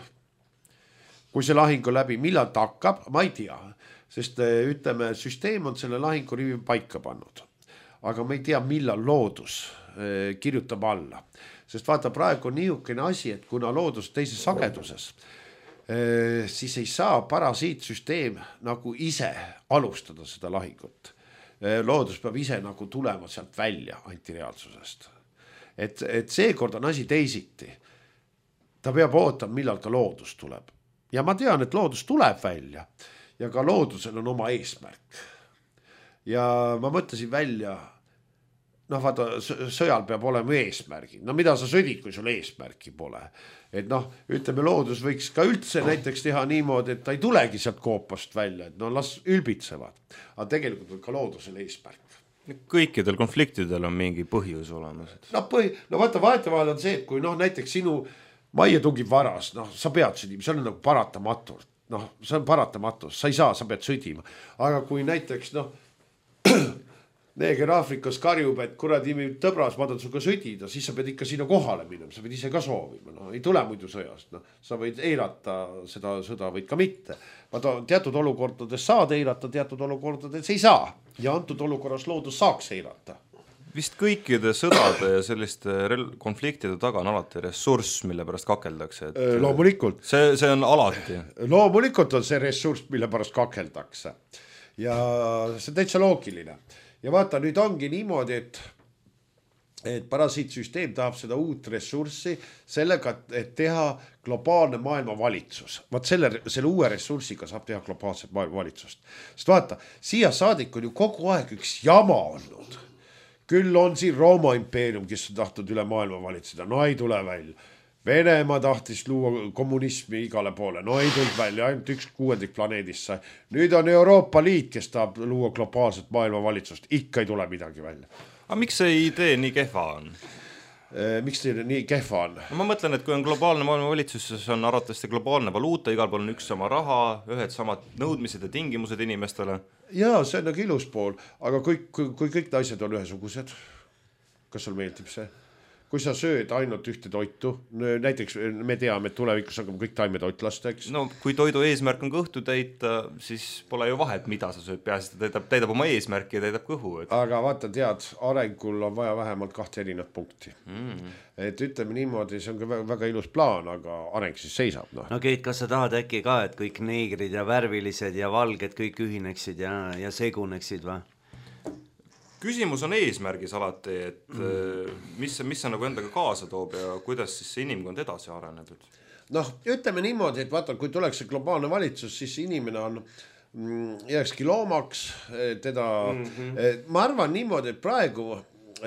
kui see lahing on läbi, millal ta hakkab, ma ei tea, sest ütleme, süsteem on selle lahingu rivi paika pannud, aga ma ei tea, millal loodus kirjutab alla, sest vaata, praegu on niisugune asi, et kuna loodus teises sageduses, siis ei saa parasiitsüsteem nagu ise alustada seda lahingut. Loodus peab ise nagu tulema sealt välja antireaalsusest. Et seekord on asi teisiti. Ta peab ootama, millal ka loodus tuleb. Ja ma tean, et loodus tuleb välja ja ka loodusel on oma eesmärk. Ja ma mõtlesin välja, vaata, sõjal peab olema eesmärgi. Mida sa sõdid, kui sul eesmärki pole? Et ütleme, loodus võiks ka üldse näiteks teha niimoodi, et ta ei tulegi sealt koopast välja, et las ülbitsevad. Aga tegelikult on ka loodusel eesmärk. Kõikidel konfliktidel on mingi põhjus olemas. Vaata, vahetevahel on see, et kui näiteks sinu majja tungib varas, sa pead sõdima, see on nagu paratamatult. See on paratamatus, sa ei saa, sa pead sõdima. Aga kui näiteks, neeger Aafrikas karjub, et kuradi tõbras, ma tahan suga sõdida, siis sa pead ikka sinna kohale minema, sa pead ise ka soovima, ei tule muidu sõjast, sa võid eirata seda sõda, võid ka mitte. Teatud olukordades saad eirata, teatud olukordades ei saa ja antud olukorras loodus saaks eirata. Vist kõikide sõdade ja selliste konfliktide taga on alati ressurss, mille pärast kakeldakse. Loomulikult. See on alati. Loomulikult on see ressurss, mille pärast kakeldakse. Ja see on täitsa loogiline. Ja vaata, nüüd ongi niimoodi, et parasiitsüsteem tahab seda uut ressurssi sellega, et teha globaalne maailmavalitsus. Vaat selle uue ressursiga saab teha globaalset maailmavalitsust. Sest vaata, siia saadik on ju kogu aeg üks jama olnud. Küll on siin Rooma impeerium, kes on tahtnud üle maailma valitseda, ei tule välja. Venemaa tahtis luua kommunismi igale poole, ei tulnud välja, ainult 1/6 planeedist sai. Nüüd on Euroopa Liit, kes tahab luua globaalset maailmavalitsust, ikka ei tule midagi välja. Aga miks see idee nii kehva on? Miks see nii kehva on? Ma mõtlen, et kui on globaalne maailmavalitsus, siis on arvatavasti globaalne valuuta, igal pool on üks sama raha, ühed samad nõudmised ja tingimused inimestele. Jaa, see on nagu ilus pool, aga kui kõik naised on ühesugused, kas sul meeldib see? Kui sa sööd ainult ühte toitu, näiteks me teame, et tulevikus hakkame kõik taimetoitlasteks. Kui toidu eesmärk on kõhtu täita, siis pole ju vahet, mida sa sööd, peaasi, ta täidab oma eesmärki ja täidab kõhu. Aga vaata, tead, arengul on vaja vähemalt 2 erinevat punkti. Et ütleme niimoodi, see on ka väga ilus plaan, aga areng siis seisab. Keit, kas sa tahad äkki ka, et kõik neegrid ja värvilised ja valged kõik ühineksid ja seguneksid või? Küsimus on eesmärgis alati, et mis see nagu endaga kaasa toob ja kuidas siis see inimkond edasi areneb? Ütleme niimoodi, et vaata, kui tuleks see globaalne valitsus, siis inimene on jääkski loomaks, teda, ma arvan niimoodi, et praegu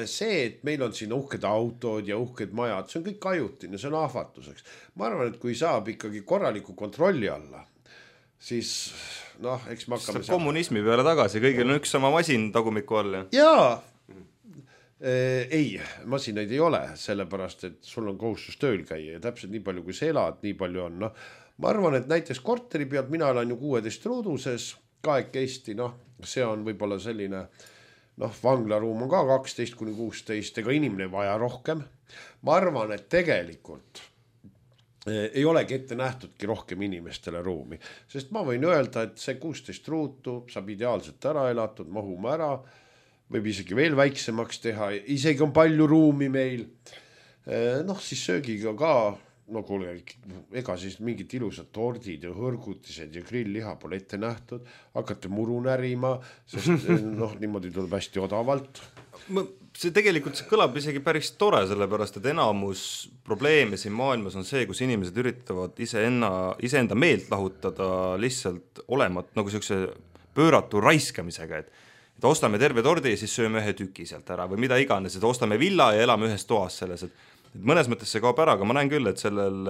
see, et meil on siin uhked autod ja uhked majad, see on kõik ajutine, see on ahvatuseks. Ma arvan, et kui saab ikkagi korraliku kontrolli alla, siis noh, eks me hakkame kommunismi peale tagasi, kõigil on üks sama masin tagumiku all. Jaa, ei, masinaid ei ole, sellepärast, et sul on kohustus tööl käia ja täpselt nii palju, kui sa elad, nii palju on. No, ma arvan, et näiteks korteri pealt, mina olen ju 16 ruuduses, kahekesti, see on võib-olla selline, vanglaruum on ka 12-16, ega inimene vaja rohkem. Ma arvan, et tegelikult ei olegi ette nähtudki rohkem inimestele ruumi, sest ma võin öelda, et see 16 ruutu saab ideaalselt ära elatud, mahume ära, võib isegi veel väiksemaks teha, isegi on palju ruumi meil, siis söögiga ka, kuule, ega siis mingid ilusad tordid ja hõrgutised ja grillliha pole ette nähtud, hakkate muru närima, sest niimoodi tuleb hästi odavalt. See tegelikult kõlab isegi päris tore, sellepärast, et enamus probleeme siin maailmas on see, kus inimesed üritavad iseenda meelt lahutada lihtsalt olemat, nagu sellise pööratu raiskamisega, et ostame terve tordi ja siis sööme ühe tüki sealt ära või mida iganes, et ostame villa ja elame ühes toas selles, et mõnes mõttes see kaob ära, aga ma näen küll, et sellel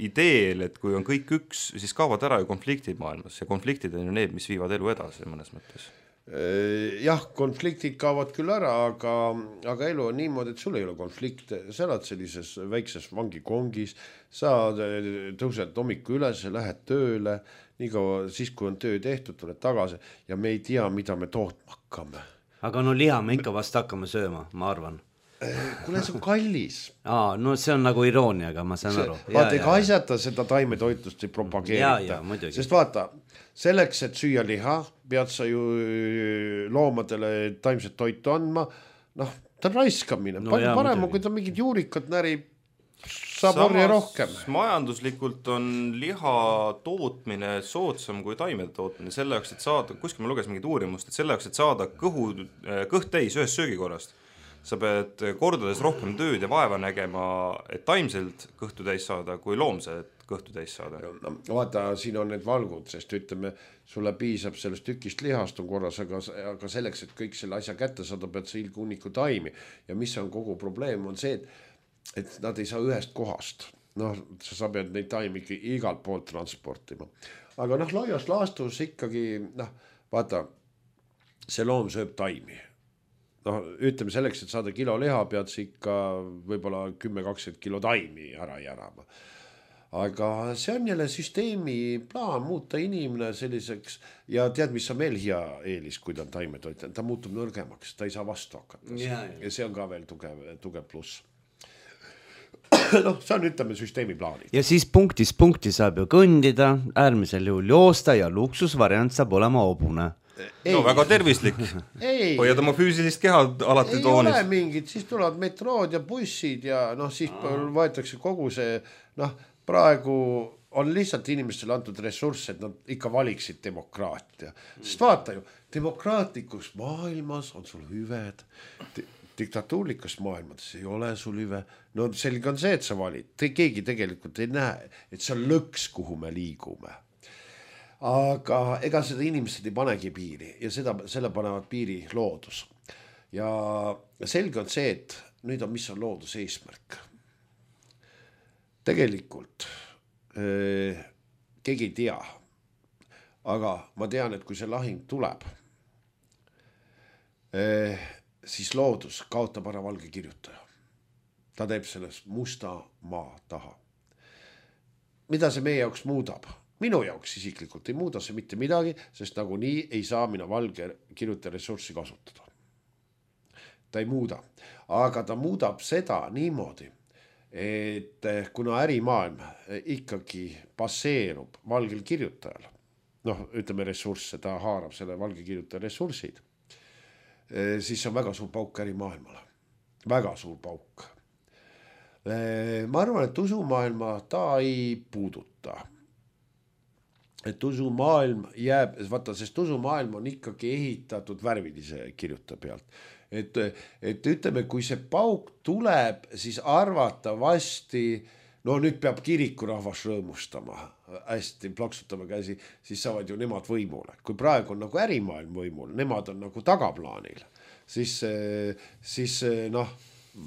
ideel, et kui on kõik üks, siis kaovad ära ju konfliktid maailmas ja konfliktid on ju need, mis viivad elu edasi mõnes mõttes. Jah, konfliktid kaovad küll ära, aga elu on niimoodi, et sul ei ole konflikte, sa elad sellises väikses vangikongis, sa tõused hommiku üles, lähed tööle, niikaua siis, kui on töö tehtud, tuled tagasi ja me ei tea, mida me tootma hakkame. Aga liha me ikka vast hakkame sööma, ma arvan. Kuule, see on kallis. See on nagu irooniaga, ma saan aru. Vaata, ega asjata seda taimetoitlust ei propageerita. Sest vaata, selleks, et süüa liha, pead sa ju loomadele taimset toitu andma. Ta on raiskamine. Palju parem on, kui ta mingid juurikat närib, saab orja rohkem. Majanduslikult on liha tootmine soodsam kui taimede tootmine. Selle jaoks, et saada, kuskil ma lugesin mingit uurimust, et selle jaoks, et saada kõht täis ühest söögikorrast, sa pead kordades rohkem tööd ja vaeva nägema, et taimselt kõhtu täis saada, kui loomset kõhtu täis saada. Vaata, siin on need valgud, sest ütleme, sulle piisab sellest tükist lihast on korras, aga selleks, et kõik selle asja kätte saada, pead sa ilgunniku taimi. Ja mis on kogu probleem, on see, et nad ei saa ühest kohast. Sa pead neid taimi igalt poolt transportima. Aga laias laastus ikkagi, vaata, see loom sööb taimi. Ütleme selleks, et saada kilo liha, pead sa ikka võib-olla 10-20 kilo taimi ära järama. Aga see on jälle süsteemi plaan muuta inimene selliseks ja tead, mis on veel hea eelis, kui ta on taimetoitleja, ta muutub nõrgemaks, ta ei saa vastu hakata. Ja see on ka veel tugev pluss. See on, ütleme, süsteemi plaanid. Ja siis punkti saab ju kõndida, äärmisel juhul joosta ja luksusvariant saab olema hobune. Väga tervislik. Hoiad oma füüsilist keha alati toonis. Ei ole mingid, siis tulevad metrood ja bussid ja siis võetakse kogu see, praegu on lihtsalt inimestele antud ressurss, et nad ikka valiksid demokraatia. Sest vaata ju, demokraatlikus maailmas on sul hüved, diktatuurlikus maailmas ei ole sul hüve. Selge on see, et sa valid. Keegi tegelikult ei näe, et see on lõks, kuhu me liigume. Aga ega seda inimesed ei panegi piiri ja selle panevad piiri loodus. Ja selge on see, et nüüd on, mis on looduse eesmärk. Tegelikult keegi ei tea, aga ma tean, et kui see lahing tuleb, siis loodus kaotab ära valge kirjutaja. Ta teeb sellest musta maa taha. Mida see meie jaoks muudab? Minu jaoks isiklikult ei muuda see mitte midagi, sest nagu nii ei saa mina valge kirjutaja ressurssi kasutada. Ta ei muuda, aga ta muudab seda niimoodi, et kuna ärimaailm ikkagi baseerub valgel kirjutajal, ütleme ressursse, ta haarab selle valge kirjutaja ressursid, siis on väga suur pauk ärimaailmale. Väga suur pauk. Ma arvan, et usumaailma ta ei puuduta. Et usumaailm jääb, vaata, sest usumaailm on ikkagi ehitatud värvilise kirjuta pealt. Et ütleme, kui see pauk tuleb, siis arvatavasti, nüüd peab kirikurahvas rõõmustama, hästi plaksutama käsi, siis saavad ju nemad võimule. Kui praegu on nagu ärimaailm võimul, nemad on nagu tagaplaanil. siis noh,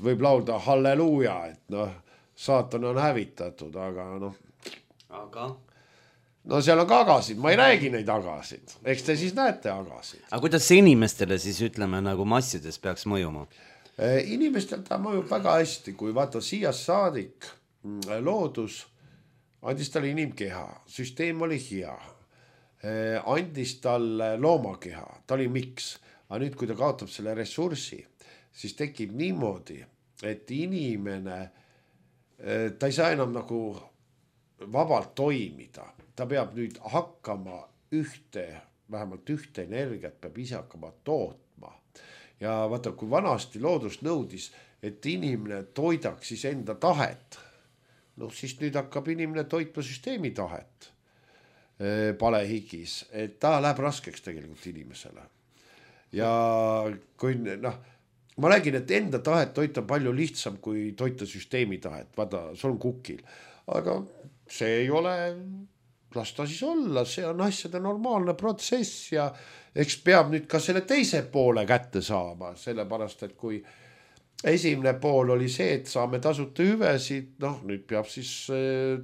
võib laulda halleluuja, et noh, saatan on hävitatud, aga noh. No seal on ka agasid, ma ei räägi neid agasid, eks te siis näete agasid. Aga kuidas see inimestele siis ütleme nagu massides peaks mõjuma? Inimestel ta mõjub väga hästi, kui vaata siias saadik loodus andis talle inimkeha, süsteem oli hea, andis talle loomakeha, ta oli miks, aga nüüd, kui ta kaotab selle ressurssi, siis tekib niimoodi, et inimene, ta ei saa enam nagu vabalt toimida, ta peab nüüd hakkama vähemalt ühte energiat peab ise hakkama tootma. Ja vaata, kui vanasti loodus nõudis, et inimene toidaks siis enda tahet, noh siis nüüd hakkab inimene toitma süsteemi tahet palehigis, et ta läheb raskeks tegelikult inimesele. Ja kui noh, ma räägin, et enda tahet toita palju lihtsam kui toita süsteemi tahet, vaata, sul on kukil, aga see ei ole, las ta siis olla, see on asjade normaalne protsess ja eks peab nüüd ka selle teise poole kätte saama, sellepärast, et kui esimene pool oli see, et saame tasuta hüvesid, noh nüüd peab siis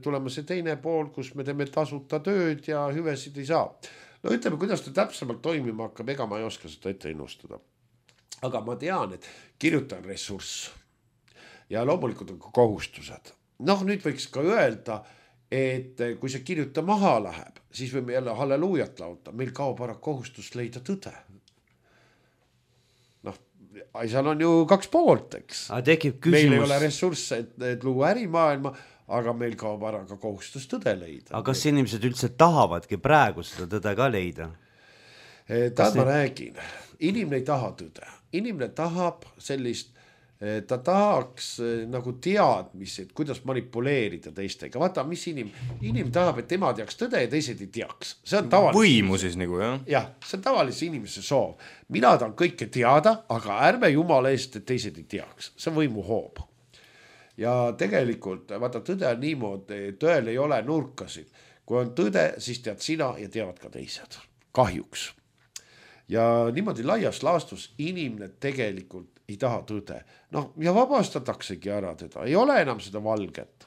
tulema see teine pool, kus me teeme tasuta tööd ja hüvesid ei saa. No ütleme, kuidas ta täpsemalt toimima hakkab, ega ma ei oska seda ette ennustada. Aga ma tean, et kirjuta on ressurss ja loomulikult on ka kohustused. Noh nüüd võiks ka öelda, et kui see kirjuta maha läheb, siis võime jälle halleluujat lauta, meil kaob ära kohustus leida tõde. Seal on ju kaks poolt, eks. Meil ei ole ressursse, et luua ärimaailma, aga meil kaob ära ka kohustus tõde leida. Aga kas inimesed üldse tahavadki praegu seda tõde ka leida? Ma räägin, inimene ei taha tõde. Inimene tahab sellist, ta tahaks nagu teadmisi, et kuidas manipuleerida teistega. Vaata, mis inimene tahab, et tema teaks tõde ja teised ei teaks. See on tavalise võimu siis nagu, jah? Jah, see on tavalise inimese soov. Mina tahan kõike teada, aga ärme jumala eest, et teised ei teaks. See on võimu hoob. Ja tegelikult, vaata, tõde on niimoodi, tõel ei ole nurkasid. Kui on tõde, siis tead sina ja teavad ka teised. Kahjuks. Ja niimoodi laias laastus inimene tegelikult ei taha tõde. Noh, ja vabastataksegi ära teda. Ei ole enam seda valget.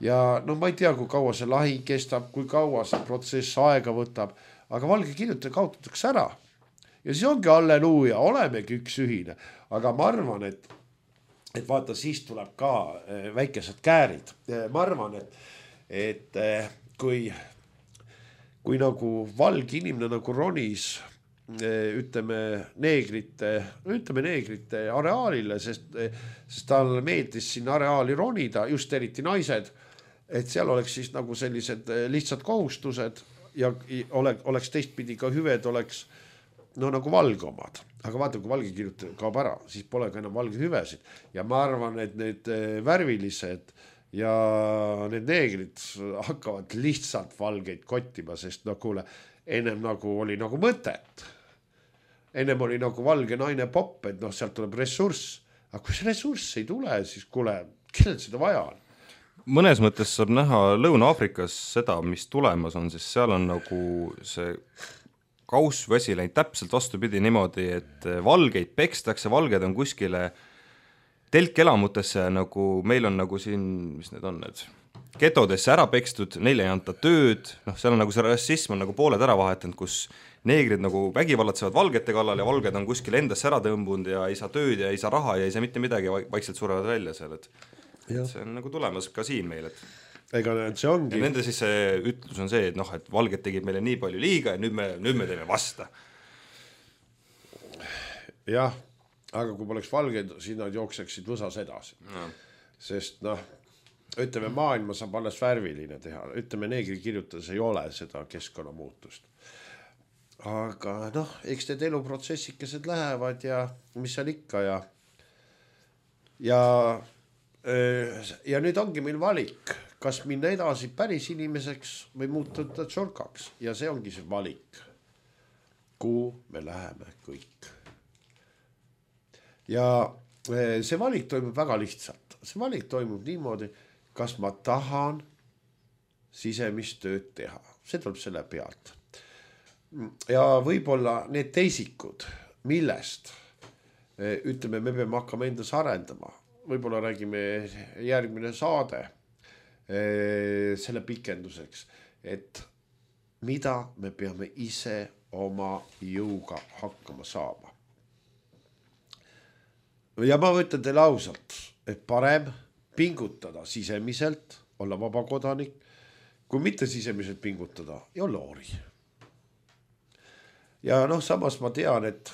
Ja no ma ei tea, kui kaua see lahi kestab, kui kaua see protsess aega võtab, aga valge kirjutaja kaotatakse ära. Ja siis ongi halleluuja, olemegi üks ühine. Aga ma arvan, et vaata, siis tuleb ka väikesed käärid. Ma arvan, et kui nagu valge inimene nagu ronis ütleme neegrite areaalile, sest tal meeldis sinna areaali ronida, just eriti naised, et seal oleks siis nagu sellised lihtsad kohustused ja oleks teistpidi ka hüved oleks no nagu valgomad. Aga vaata, kui valge kirjutaja kaob ära, siis pole ka enam valge hüvesid. Ja ma arvan, et need värvilised ja need neegrid hakkavad lihtsalt valgeid kottima, sest no kuule, ennem nagu oli nagu mõtet. Ennem oli nagu valge naine popp, et noh, sealt tuleb ressurss. Aga kui see ressurss ei tule, siis kuule, kellel seda vaja on? Mõnes mõttes saab näha Lõuna-Afrikas seda, mis tulemas on, siis seal on nagu see kaussväsi läinud täpselt vastupidi niimoodi, et valgeid pekstakse, valged on kuskile telkelamutesse, nagu meil on nagu siin, mis need on need getodesse ära pekstud, neile ei anta tööd, noh, seal on nagu see rassism on nagu pooled ära vahetanud, kus neegrid nagu vägivallatsevad valgete kallal ja valged on kuskil endasse ära tõmbunud ja ei saa tööd ja ei saa raha ja ei saa mitte midagi, vaikselt surevad välja seal, et see on nagu tulemas ka siin meil, et ega see ongi. Ja nende siis see ütlus on see, et noh, et valged tegid meile nii palju liiga ja nüüd me teeme vasta. Jah, aga kui poleks valged, siis nad jookseksid võsas edasi. No. Sest noh, ütleme maailma saab alles värviline teha, ütleme neegri kirjutades ei ole seda keskkonnamuutust. Aga noh, eks need eluprotsessikesed lähevad ja mis seal ikka ja nüüd ongi meil valik, kas minna edasi päris inimeseks või muutuda tšorkaks ja see ongi see valik, kuhu me läheme kõik. Ja see valik toimub väga lihtsalt, see valik toimub niimoodi, kas ma tahan sisemist tööd teha, see tuleb selle pealt. Ja võib-olla need teisikud, millest ütleme, me peame hakkama endas arendama. Võib-olla räägime järgmine saade selle pikenduseks, et mida me peame ise oma jõuga hakkama saama. Ja ma võtan teile ausalt, et parem pingutada sisemiselt, olla vaba kodanik, kui mitte sisemiselt pingutada ja olla ori. Ja samas ma tean, et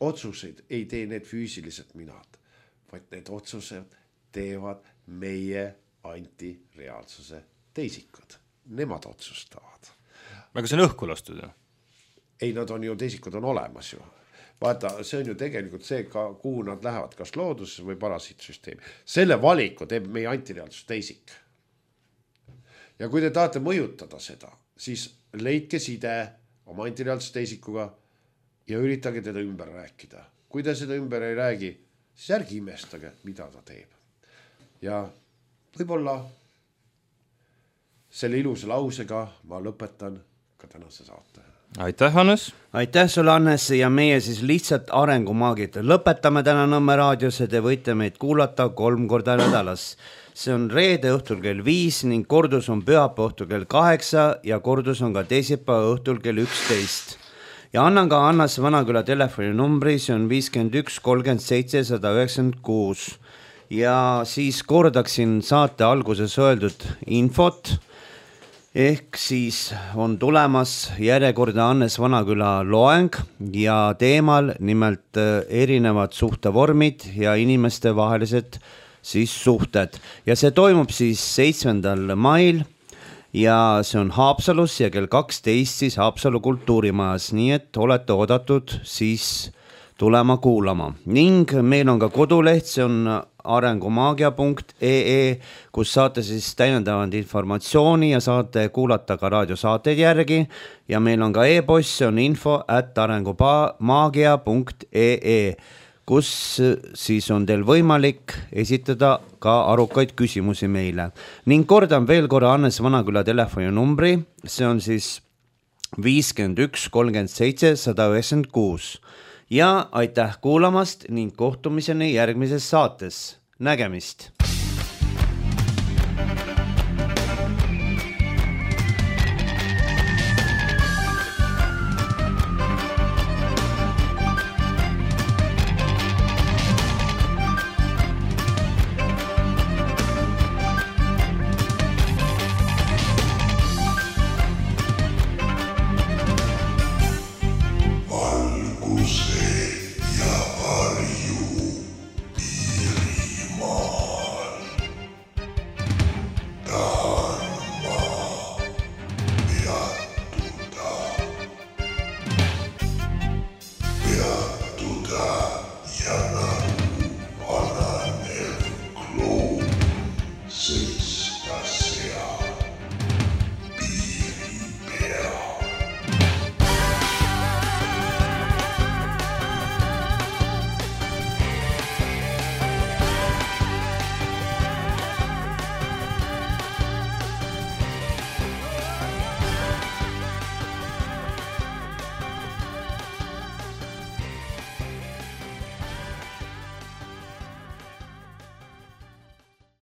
otsuseid ei tee need füüsilised minad, vaid need otsused teevad meie antireaalsuse teisikud. Nemad otsustavad. Aga see on õhku lastud? Ei, nad on ju, teisikud on olemas ju. Vaata, see on ju tegelikult see, kuhu nad lähevad, kas looduses või parasiitsüsteemi. Selle valiku teeb meie antireaalsus teisik. Ja kui te tahate mõjutada seda, siis leidke side oma antireaalsus teisikuga ja üritage teda ümber rääkida. Kui te seda ümber ei räägi, siis ärgi imestage, mida ta teeb. Ja võib-olla selle ilusa lausega ma lõpetan ka tänase saate. Aitäh, Hannes! Aitäh sulle, Hannes, ja meie siis lihtsalt arengumaagid. Lõpetame täna Nõmme raadios ja te võite meid kuulata 3 korda nädalas. See on reede õhtul kell 5 ning kordus on pühapäeva õhtul kell 8 ja kordus on ka teisipäeva õhtul kell 11. Ja annan ka Hannes Vanaküla telefoninumbri, see on 51 37 196. Ja siis kordaksin saate alguses öeldud infot, ehk siis on tulemas järjekordne Hannes Vanaküla loeng ja teemal nimelt erinevad suhtevormid ja inimeste vahelised siis suhted. Ja see toimub siis 7. mail ja see on Haapsalus ja kell 12 siis Haapsalu kultuurimajas, nii et olete oodatud siis tulema kuulama. Ning meil on ka koduleht, see on arengumaagia.ee, kus saate siis täiendavad informatsiooni ja saate kuulata ka raadiosaateid järgi ja meil on ka e-post, see on info@arengumaagia.ee, kus siis on teil võimalik esitada ka arukaid küsimusi meile. Ning kordan veel korra Hannes Vanaküla telefoninumbri, see on siis 51 37 196. Ja aitäh kuulamast ning kohtumiseni järgmises saates. Nägemist! See